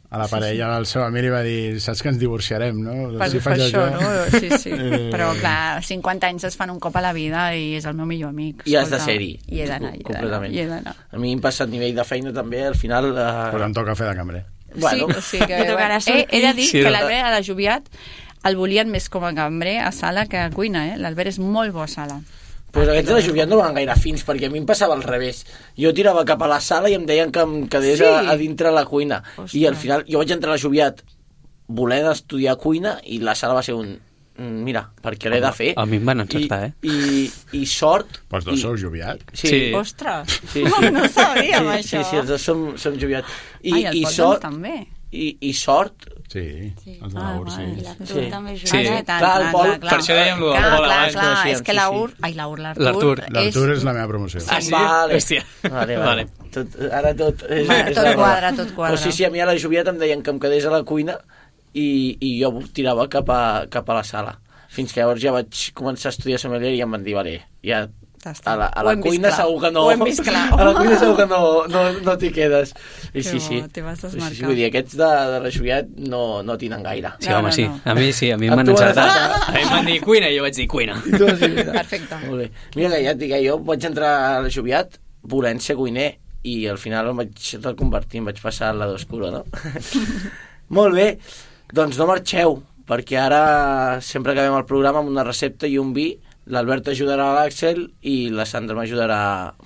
a la parella, al seu amic, li va dir, saps que ens divorciarem, no? Per, si per això, això, no? Sí, sí. Però clar, cinquanta anys es fan un cop a la vida i és el meu millor amic. I has de ser-hi. I he d'anar, i he d'anar, i he d'anar. A mi em passa a nivell de feina també, al final... Uh... Però em toca fer de cambrer. Bueno. Sí, sí que, bueno, he, he de dir sí, que l'Albert a la Joviat el volien més com a cambrer a sala que a cuina, eh? L'Albert és molt bo a sala. Pues aquests de la Joviat no van gaire fins, perquè a mi em passava al revés. Jo tirava cap a la sala i em deien que em quedés sí. a, a dintre la cuina. Ostres. I al final jo vaig entrar a la Joviat volent estudiar cuina i la sala va ser un... mira, perquè l'he de fer. A mi em van encertar, I, eh? I, i sort... Pues dos i... sou joviat. Sí. Sí. Ostres, Sí, sí. no sabíem sí, això. Sí, sí, els dos som, som joviats. I, Ai, el i Pol sort, doncs, també. I, I sort... Sí, Sí. els de Ah, l'Ur, sí. I l'Artur Sí. també Sí. juga. Ah, tant, Clar, el clar, Pol- clar, clar. per això dèiem lo del clar, Pol clar, abans, clar, coneixíem, és que sí, l'Aur... sí. Ai, l'Aur, L'Artur. l'Artur... L'Artur és... és la meva promoció. Ah, sí? Vale. Hòstia. Vale, vale. Vale. Tot, ara tot... És, Va, és tot la quadra, raó. tot quadra. Però sí, sí, a mi a la Joviat em deien que em quedés a la cuina i, i jo tirava cap a, cap a la sala. Fins que llavors ja vaig començar a estudiar sommelier i em van dir, vale, ja Ja està. a la, a Ho la hem vist cuina clar. segur que no... Ho hem vist clar. A la cuina segur que no, no, no t'hi quedes. I Que sí, bo, sí. t'hi vas Sí, sí, desmarcar. vull dir, aquests de, de la Joviat no, no tinen gaire. Sí, No, home, no, sí. no. A mi sí, a mi em A van tu has encertar. encertat. A mi em van dir cuina i jo vaig dir cuina. I tu has dit, mira. Perfecte. Molt bé. Mira que ja et dic, eh, jo vaig entrar a la Joviat volent ser cuiner i al final em vaig reconvertir, em vaig passar al lado oscuro, no? Molt bé, doncs no marxeu, perquè ara sempre acabem el programa amb una recepta i un vi. L'Albert ajudarà a l'Àxel i la Sandra m'ajudarà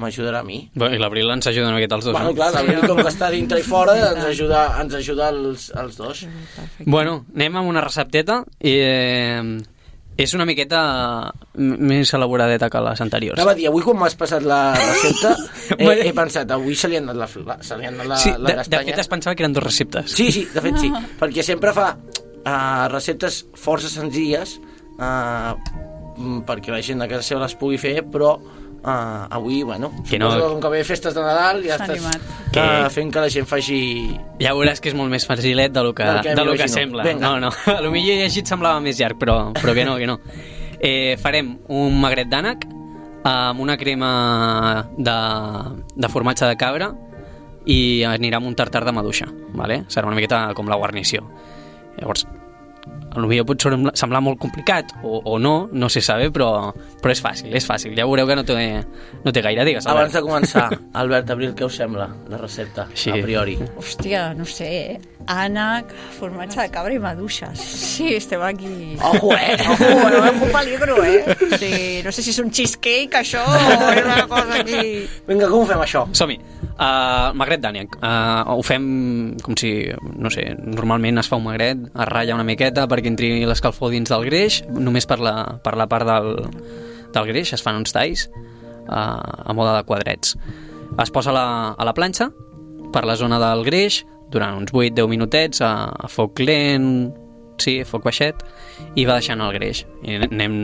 m'ajudarà a mi. Bueno, i l'Abril ens ajuda una miqueta els dos, Bueno, no? clar, l'Abril, com que està dintre i fora, ens ajuda, ens ajuda els, els dos. Perfecte. Bueno, anem amb una recepteta i eh, és una miqueta m- més elaboradeta que les anteriors. Anava a dir, avui quan m'has passat la recepta he, he pensat, avui se li ha anat la, la, se li ha anat la, Sí, la de, de castanya. fet es pensava que eren dues receptes. Sí, sí, de fet sí, perquè sempre fa uh, receptes força senzilles uh, perquè la gent a casa seva les pugui fer, però uh, avui, bueno, Que no- suposo que com que ve festes de Nadal ja S'ha estàs animat. uh, Que- fent que la gent faci... Ja veuràs que és molt més facilet de lo que, Del que de lo que m'imagino. sembla. Vinga. No, no, a lo millor llegit semblava més llarg, però, però que no, que no. Eh, farem un magret d'ànec amb una crema de, de formatge de cabra i anirà amb un tartar de maduixa, vale? Serà una miqueta com la guarnició. Llavors, a lo millor pot semblar, semblar molt complicat o, o no, no se sabe, però, però és fàcil, és fàcil. Ja veureu que no té, no té gaire, digues. Abans Albert. de començar, Albert, Abril, què us sembla la recepta, Sí. a priori? Hòstia, no sé, eh? Ànec, formatge de cabra i maduixes. Sí, estem aquí... Ojo, eh? Ojo, no és un peligro, eh? Sí, no sé si és un cheesecake, això, o és una cosa aquí... Vinga, com ho fem, això? Som-hi. Uh, magret d'ànec. Uh, ho fem com si, no sé, normalment es fa un magret, es ratlla una miqueta perquè entri l'escalfor dins del greix, només per la, per la part del, del greix es fan uns talls uh, a mode de quadrets. Es posa a la, a la planxa per la zona del greix durant uns vuit deu minutets a, a foc lent, sí, a foc baixet, i va deixant el greix. I anem,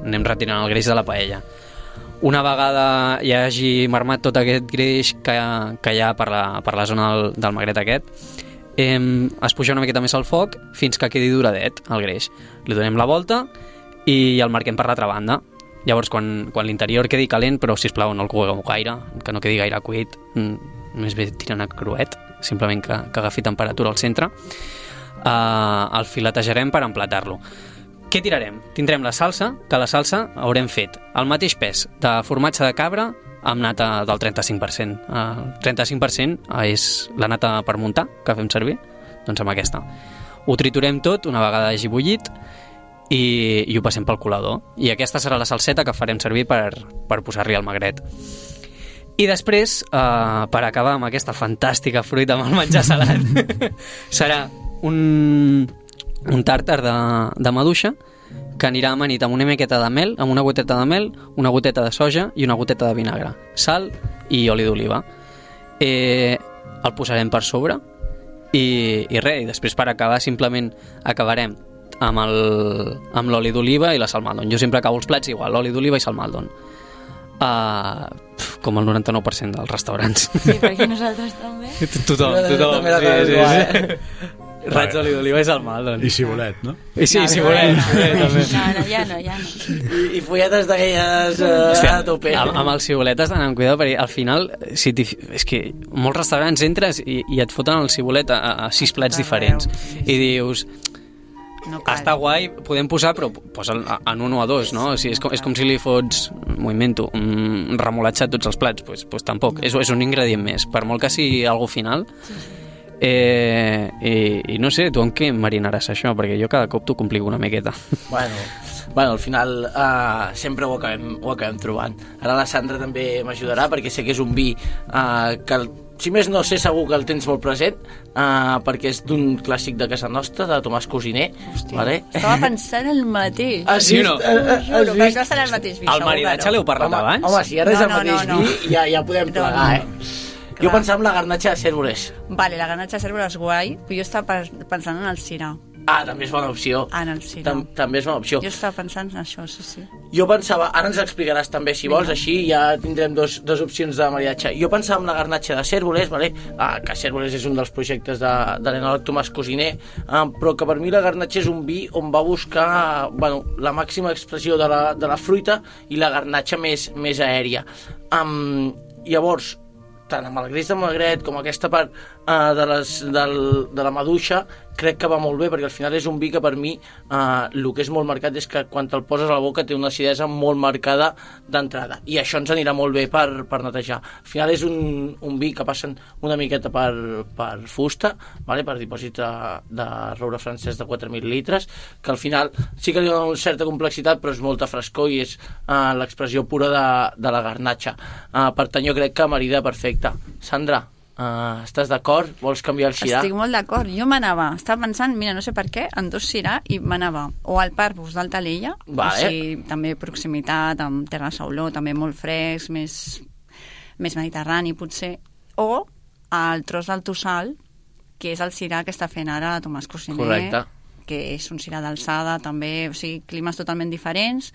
anem retirant el greix de la paella. Una vegada hi hagi marmat tot aquest greix que, que hi ha per la, per la zona del, del magret aquest, eh, es puja una miqueta més al foc fins que quedi duradet el greix. Li donem la volta i el marquem per l'altra banda. Llavors, quan, quan l'interior quedi calent, però sisplau no el cogueu gaire, que no quedi gaire cuit, més bé tirant a cruet, simplement que, que agafi temperatura al centre, eh, el filetejarem per emplatar-lo. Què tirarem? Tindrem la salsa, que la salsa haurem fet el mateix pes de formatge de cabra amb nata del trenta-cinc per cent. El trenta-cinc per cent és la nata per muntar, que fem servir, doncs amb aquesta. Ho triturem tot una vegada hagi bullit i, i ho passem pel colador. I aquesta serà la salseta que farem servir per, per posar-li al magret. I després, eh, per acabar amb aquesta fantàstica fruita amb el menjar salat, serà un... un tàrtar de, de maduixa que anirà amanit amb una miqueta de mel, amb una goteta de mel, una goteta de soja i una goteta de vinagre, sal i oli d'oliva. Eh, el posarem per sobre i, i res, i després per acabar simplement acabarem amb el- amb l'oli d'oliva i la salmaldon. Jo sempre acabo els plats igual, l'oli d'oliva i salmaldon. Uh, com el noranta-nou per cent dels restaurants. Sí, perquè nosaltres també. Tothom, tothom. També l'acabem Sí, igual, sí, sí. Raig d'oli d'oliva i salmaldon. I cibolet, no? I sí, si volem. També. No, no, ja no, ja no. I, i folletes d'aquelles uh, Hòstia, a tope. amb, amb els cibolet has d'anar amb cuidado perquè al final si t'hi- és que molts restaurants entres i, i et foten el cibolet a, a sis plats diferents i dius, No cal. està guai, podem posar però posa'l en un o a dos, no? O sigui, és, com, és com si li fots, m'ho invento, un remolatge a tots els plats, pues, pues tampoc, és, és un ingredient més, per molt que sigui algo final. Eh, i, i no sé, tu en què marinaràs això? Perquè jo cada cop t'ho complico una miqueta. Bueno, bueno, al final uh, sempre ho acabem, ho acabem trobant. Ara la Sandra també m'ajudarà perquè sé que és un vi uh, que si més no, sé segur que el tens molt present, uh, perquè és d'un clàssic de casa nostra, de Tomàs Cosiner. Hòstia, vale? Estava pensant el mateix. Has vist? no? Uh, uh, Juro, que no serà el mateix vi. El segur, maridatge però- l'heu parlat Home, abans? home, si ara és No, el no, mateix no, no. vi, ja, ja podem No, plegar, no. eh? Clar. Jo pensava en la garnatxa de cérvoles. Vale, la garnatxa de cérvoles és guai, però jo estava pe- pensant en el cirà. Ah, també és bona opció. Ah, en el cirà. Tam també és bona opció. Jo estava pensant en això, sí, sí. Jo pensava, ara ens explicaràs també si vols, Vinga. així ja tindrem dos, dos opcions de maridatge. Jo pensava en la garnatxa de cérvoles, vale? Ah, que cérvoles és un dels projectes de, de l'enòleg Tomàs Cosiner, ah, però que per mi la garnatxa és un vi on va buscar bueno, la màxima expressió de la, de la fruita i la garnatxa més, més aèria. Um, llavors, tant amb el greix de magret com aquesta part uh, de, les, del, de la maduixa, crec que va molt bé, perquè al final és un vi que per mi uh, el que és molt marcat és que quan te'l poses a la boca té una acidesa molt marcada d'entrada, i això ens anirà molt bé per, per netejar. Al final és un, un vi que passen una miqueta per, per fusta, vale? Per dipòsit de, de roure francès de quatre mil litres, que al final sí que li dona una certa complexitat, però és molta frescor i és uh, l'expressió pura de, de la garnatxa. Uh, per tant, jo crec que marida perfecta. Sandra, Uh, estàs d'acord? Vols canviar el cirà? Estic molt d'acord. Jo m'anava, estava pensant, mira, no sé per què, en dos cirà i m'anava o al Parvus d'Altalella, Vale. o sigui, també proximitat, amb Terra Sauló, també molt fresc, més, més mediterrani, potser, o al tros del Tossal, que és el cirà que està fent ara Tomàs Cosiner, Correcte. que és un cirà d'alçada, també, o sigui, climes totalment diferents,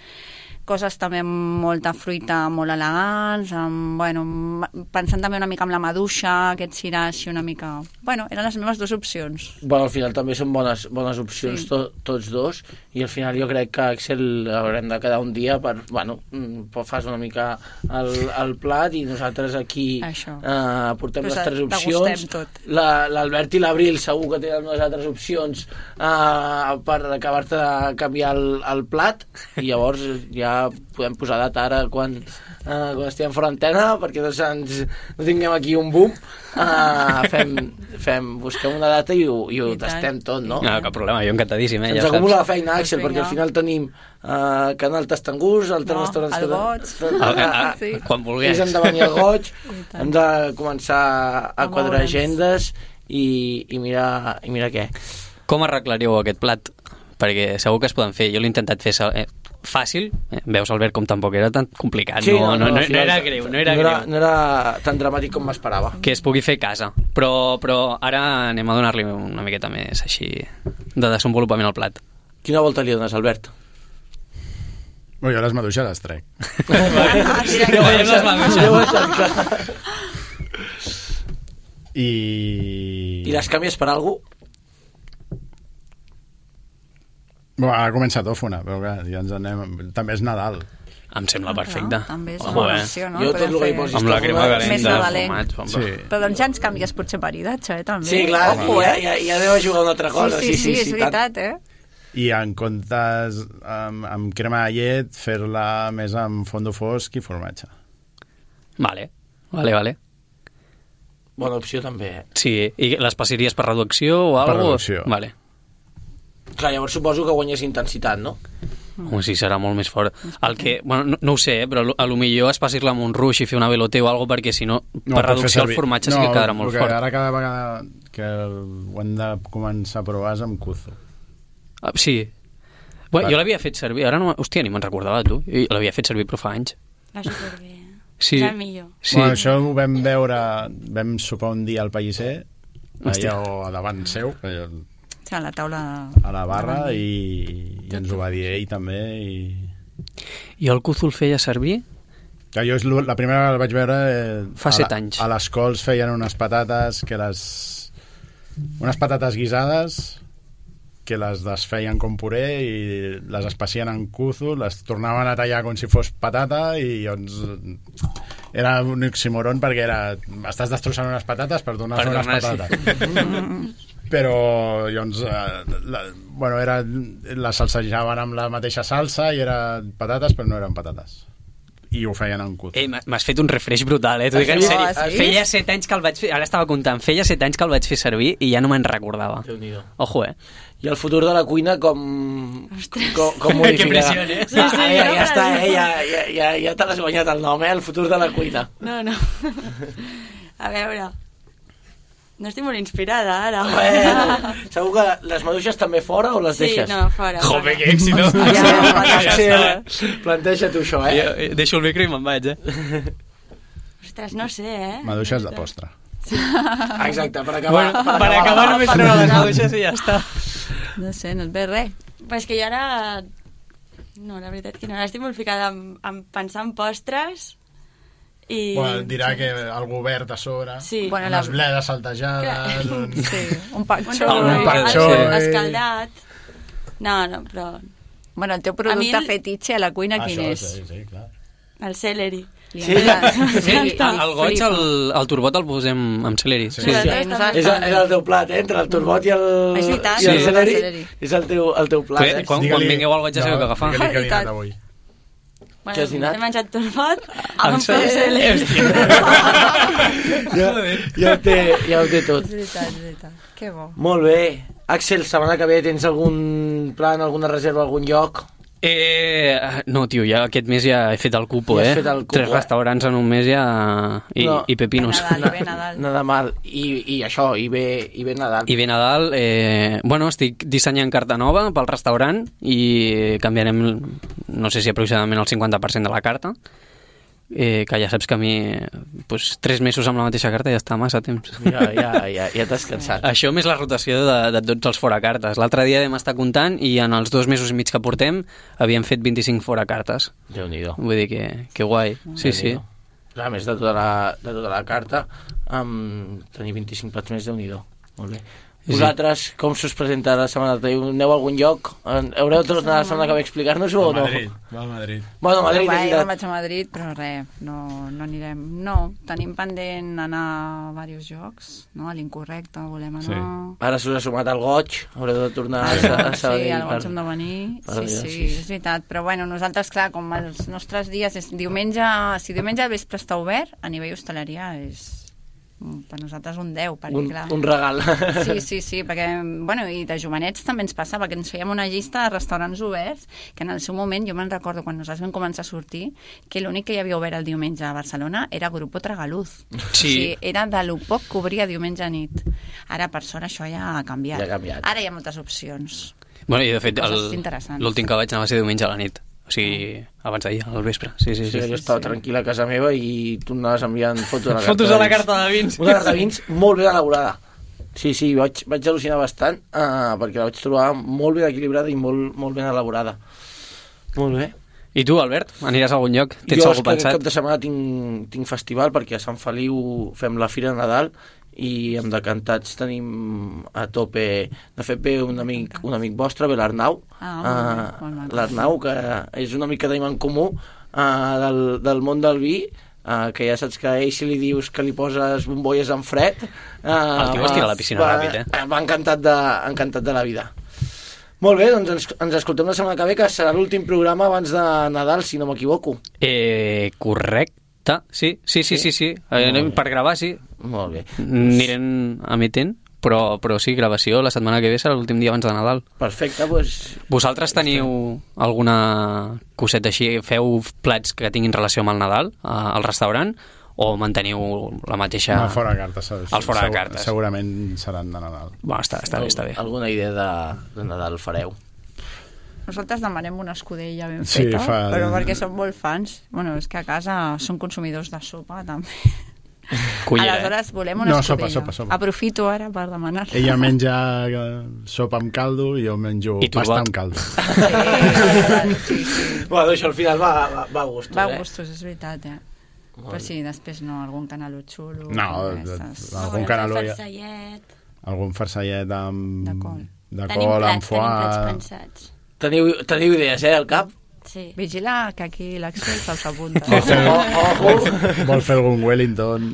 coses també amb molta fruita molt elegants, amb, bueno, pensant també una mica amb la maduixa, aquest cirà així una mica... Bueno, eren les meves dues opcions. Bueno, al final també són bones, bones opcions, Sí. to, tots dos, i al final jo crec que Axel haurem de quedar un dia per, bueno, mm, fas una mica el, el plat i nosaltres aquí Això. eh, portem Pues les tres degustem opcions. tot. La- L'Albert i l'Abril segur que tenen unes altres opcions eh, per acabar-te de canviar el, el plat, i llavors ja podem posar data ara quan, eh, quan estiguem fora antena, perquè no, ens, no tinguem aquí un boom. Uh, fem, fem, busquem una data i ho, i ho I tant. tastem tot, no? No, cap problema, jo encantadíssim, eh? Ens Ja acumula la saps. feina, Axel, Doncs perquè al vinga. final tenim uh, Canal Tastangús, altres No, restaurants... el que- Goig. Ah, ah, ah, Sí. quan vulguis. És hem de venir al Goig, tant. hem de començar a A quadrar moure'ns. agendes i, i, mirar, i mirar què. Com arreglaríeu aquest plat? Perquè segur que es poden fer. Jo l'he intentat fer eh, fàcil. Eh, veus, Albert, com tampoc era tan complicat. no, no, no, no, al final era greu, no era no greu. era, no era tan dramàtic com m'esperava. Que es pugui fer a casa. Però, però ara anem a donar-li una miqueta més així de desenvolupament al plat. Quina volta li dones, Albert? Bueno, jo les maduixes les trec. Ah, sí, Ja veiem les maduixes. I... I les canvies per alguna cosa? Bueno, ara comença tòfona, però clar, ja ens anem... També és Nadal. Em sembla Ah, perfecte. clar, també és Ojo, una eh? opció, no? Jo tot Podem el que hi fer- posis Amb la crema tòfona- calenta, Més nadaler. fumats, home. Sí. Però doncs ja ens canvies potser maridatge, eh, també. Sí, clar, Ojo, ja, eh? ja, ja anem a jugar a una altra cosa. Sí, sí, sí, és tant. veritat, eh? I en comptes amb, amb crema de llet, fer-la més amb fondo fosc i formatge. Vale, vale, vale. Bona opció també, eh? Sí, i les passaries per reducció o Per alguna cosa? reducció. Vale. Clar, llavors suposo que guanyes intensitat, no? Home, sí, serà molt més fort. El que, bueno, no, no ho sé, eh, però a lo millor es passir-la amb un ruix i fer una veloté o alguna cosa, perquè si no, per pot fer reducció el servir- formatge sí que quedarà molt el que fort. Ara cada vegada que ho hem de començar a provar és amb kuzu. Ah, sí. Bueno, Va. jo l'havia fet servir, ara no... Hòstia, ni me'n recordava, tu. Jo l'havia fet servir, però fa anys. Va superbé. Sí. És el millor. Sí. Bueno, això ho vam veure, vam sopar un dia al Pellicer, Hòstia. allà o a davant seu, allà Sí, a la taula... a la barra, i, i ens ho va dir ell també. I... Jo el kuzu el feia servir? Que jo és lo- la primera que el vaig veure... Eh, Fa a set la- anys. A les cols feien unes patates que les... Unes patates guisades que les desfeien com puré i les espacien en kuzu, les tornaven a tallar com si fos patata i doncs era un oxímoron perquè era estàs destrossant unes patates per donar Per unes donar, sí. patates. Però llavors eh, la, bueno, era, les salsejaven amb la mateixa salsa i eren patates però no eren patates i ho feien en kuzu. Ei, m'ha- m'has fet un refresh brutal, eh? T'ho dic en Sí? sèrio. Ah, sí? Feia set anys que el vaig fer... Ara estava comptant. Feia set anys que el vaig fer servir i ja no me'n recordava. Déu-n'hi-do. Ojo, eh? I el futur de la cuina com, com, com modificarà? Que pressió, eh? Sí, sí, ja, ja, està, eh? Ja, ja, ja, ja te l'has guanyat el nom, eh? El futur de la cuina. No, no. A veure, No estic molt inspirada, ara. Bueno, segur que les maduixes també fora o les Sí, deixes? no, fora. Joder, fora. que èxito. Axel, planteja tu això, eh? Jo deixo el micro i me'n vaig, eh? Ostres, no sé, eh? Maduixes de postre. Exacte, per acabar... Bueno, per acabar només treure les maduixes i ja està. No sé, no et ve res. Però és que jo ara... No, la veritat que no. Ara estic molt ficada en, en pensar en postres i... Bueno, dirà que algú verd a sobre, Sí. Bueno, unes la- bledes saltejades, un... Sí, un Un panxó. roll, un panxó, algo eh. escaldat. No, no, però... Bueno, el teu A mi producte el- fetitxe a la cuina quin Això, és? sí, sí, clar. El celery. Li Sí. encanta. Sí, Li- li el goig, flipa. el, el turbot el posem amb celery. Sí, Sí, sí. sí. nosaltres És, és el teu plat, eh? Entre el turbot i el, És veritat, i el sí. celeri. el celeri. És el teu, el teu plat, Bé, eh? quan, quan vingueu al goig ja sabeu què agafar. Digue-li que he dinat Veritat. avui. Bueno, Què has dinat? He menjat turbot Amb amb celery. celery. Ja, ja, ho té, ja ho té tot. És veritat, és veritat. Que bo. Molt bé. Axel, setmana que ve tens algun plan, alguna reserva, algun lloc? Eh, no, tio, ja aquest mes ja he fet el cupo, Ja has eh? fet el cupo, Tres eh? restaurants en un mes ja... I, No. i pepinos. Nadal, i bé Nadal. Nada mal. I, i això, i bé, i bé Nadal. I bé Nadal, eh, bueno, estic dissenyant carta nova pel restaurant i canviarem, no sé si aproximadament el cinquanta per cent de la carta, eh, que ja saps que a mi pues, tres mesos amb la mateixa carta ja està massa temps. Ja, ja, ja, ja t'has cansat. Això més la rotació de, de tots els foracartes. L'altre dia vam estar comptant i en els dos mesos i mig que portem havíem fet vint-i-cinc foracartes. Déu-n'hi-do. Vull dir que, que guai. Sí, sí. A més de tota la, de tota la carta, um, tenir vint-i-cinc plats més, Déu-n'hi-do. Molt bé. Vosaltres, com s'us presenta la setmana? Aneu a algun lloc? Haureu de tornar la setmana que ve a explicar-nos-ho o Va no? a Madrid, va a Madrid. Bueno, a Madrid, Però, és va, jo veritat. vaig a Madrid, però res, no, no anirem. No, tenim pendent anar a diversos jocs, no? A l'Incorrecte volem anar... Sí. Ara s'us ha sumat al goig, haureu de tornar a, Ah, a Sabadell. sí, al per- goig hem de venir. per Sí, allà, sí, sí, sí. és veritat. Però bueno, nosaltres, clar, com els nostres dies... És diumenge, si diumenge al vespre està obert, a nivell hostaleria és per nosaltres un deu, perquè un, clar... un regal. Sí, sí, sí, perquè, bueno, i de jovenets també ens passava, que ens fèiem una llista de restaurants oberts, que en el seu moment, jo me'n recordo quan nosaltres vam començar a sortir, que l'únic que hi havia obert el diumenge a Barcelona era Grupo Tragaluz. Sí. O sigui, era de lo poc que obria diumenge a nit. Ara, per sort, això ja ha canviat. Ja ha canviat. Ara hi ha moltes opcions. Bueno, i de fet, Coses el- interessants. l'últim que vaig anar va ser diumenge a la nit. O sigui, abans d'ahir, al vespre. Sí, sí, Sí, sí. jo estava tranquil a casa meva i tu anaves enviant fotos de la carta Fotos de la vins. carta de vins. Una carta de vins molt ben elaborada. Sí, sí, vaig, vaig al·lucinar bastant uh, perquè la vaig trobar molt ben equilibrada i molt, molt ben elaborada. Molt bé. I tu, Albert, aniràs a algun lloc? Tens jo és algú que aquest pensat? cap de setmana tinc, tinc festival perquè a Sant Feliu fem la Fira de Nadal i amb decantats tenim a tope. De fet ve un amic, un amic vostre, ve l'Arnau, Ah, molt bé, uh, molt maco. l'Arnau, que és un amic que tenim en comú uh, del, del món del vi, uh, que ja saps que a ell si li dius que li poses bombolles en fred uh, El tio es tira a la piscina va, ràpid, eh? va encantat de, encantat de la vida. Molt bé, doncs ens, ens escoltem la setmana que ve, que serà l'últim programa abans de Nadal, si no m'equivoco. Eh, correcte. Sí, sí, sí, sí, sí. Eh, per gravar, sí. Molt bé. Anirem emetent, però, però sí, gravació la setmana que ve serà l'últim dia abans de Nadal. Perfecte, doncs... Vosaltres teniu alguna coseta així? Feu plats que tinguin relació amb el Nadal a, al restaurant? O manteniu la mateixa... No, fora de cartes. se- Els fora de segur- cartes. Segurament seran de Nadal. Bueno, està, està bé, està bé. Alguna idea de, de Nadal fareu? Nosaltres demanem una escudella ben Sí, feta, fa- però perquè som molt fans. Bueno, és que a casa som consumidors de sopa, també. Cullera, eh? Aleshores, volem una No, sopa, escudella. sopa, sopa. Aprofito ara per demanar. Ella menja eh, sopa amb caldo i jo menjo I tu pasta va- amb caldo. Sí, sí, sí. Bueno, això al final va, va, va a gustos, Va a eh? gustos, és veritat, eh? Però sí, després no, algun canaló xulo. No, com de- aquestes. de- algun canaló ja- Farcellet. Algun farcellet amb... De col. De Tenim col, plats, amb tenim plats foie... pensats. Teniu, teniu idees, eh, al cap? Sí. Vigila, que aquí l'Axel se'ls apunta. Vol fer, Ojo. vol fer algun Wellington,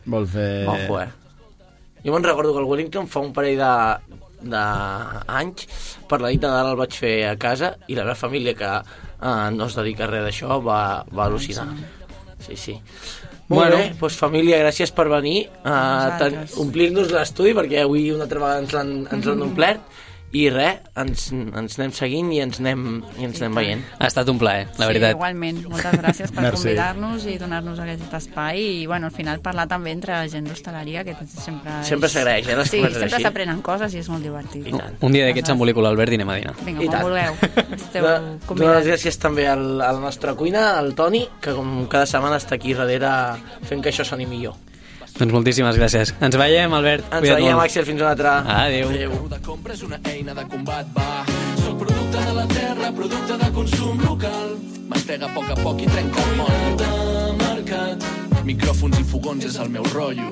vol fer... Ojo, eh? Jo me'n recordo que el Wellington fa un parell de d'anys per la nit de Nadal el vaig fer a casa i la meva família, que eh, no es dedica a res d'això, va, va al·lucinar. Sí, sí. Molt Bueno. bé, doncs família, gràcies per venir a Vosaltres. omplir-nos l'estudi, perquè avui una altra vegada ens l'han ens l'han omplert, i res, ens, ens anem seguint i ens anem, i ens anem veient. Ha estat un plaer, la sí, veritat. Igualment, moltes gràcies per Merci. convidar-nos i donar-nos aquest espai i, bueno, al final parlar també entre la gent d'hostaleria, que sempre és... Sempre s'agraeix, eh, les sí, converses sempre així. s'aprenen coses i és molt divertit. I tant. Un dia d'aquests embolico l'Albert i anem a dinar. Vinga, I quan tant. vulgueu. Esteu Donar convidats. les gràcies també al, a la nostra cuina, al Toni, que com cada setmana està aquí darrere fent que això soni millor. Doncs moltíssimes gràcies. Ens veiem, Albert. Ens Cuida't veiem, molt. Axel, fins una altra. Adéu. Adéu. De compra és una eina de combat, va. Soc producte de la terra, producte de consum local. Mastega a poc a poc i trenca el motllo. De mercat, micròfons i fogons és el meu rotllo.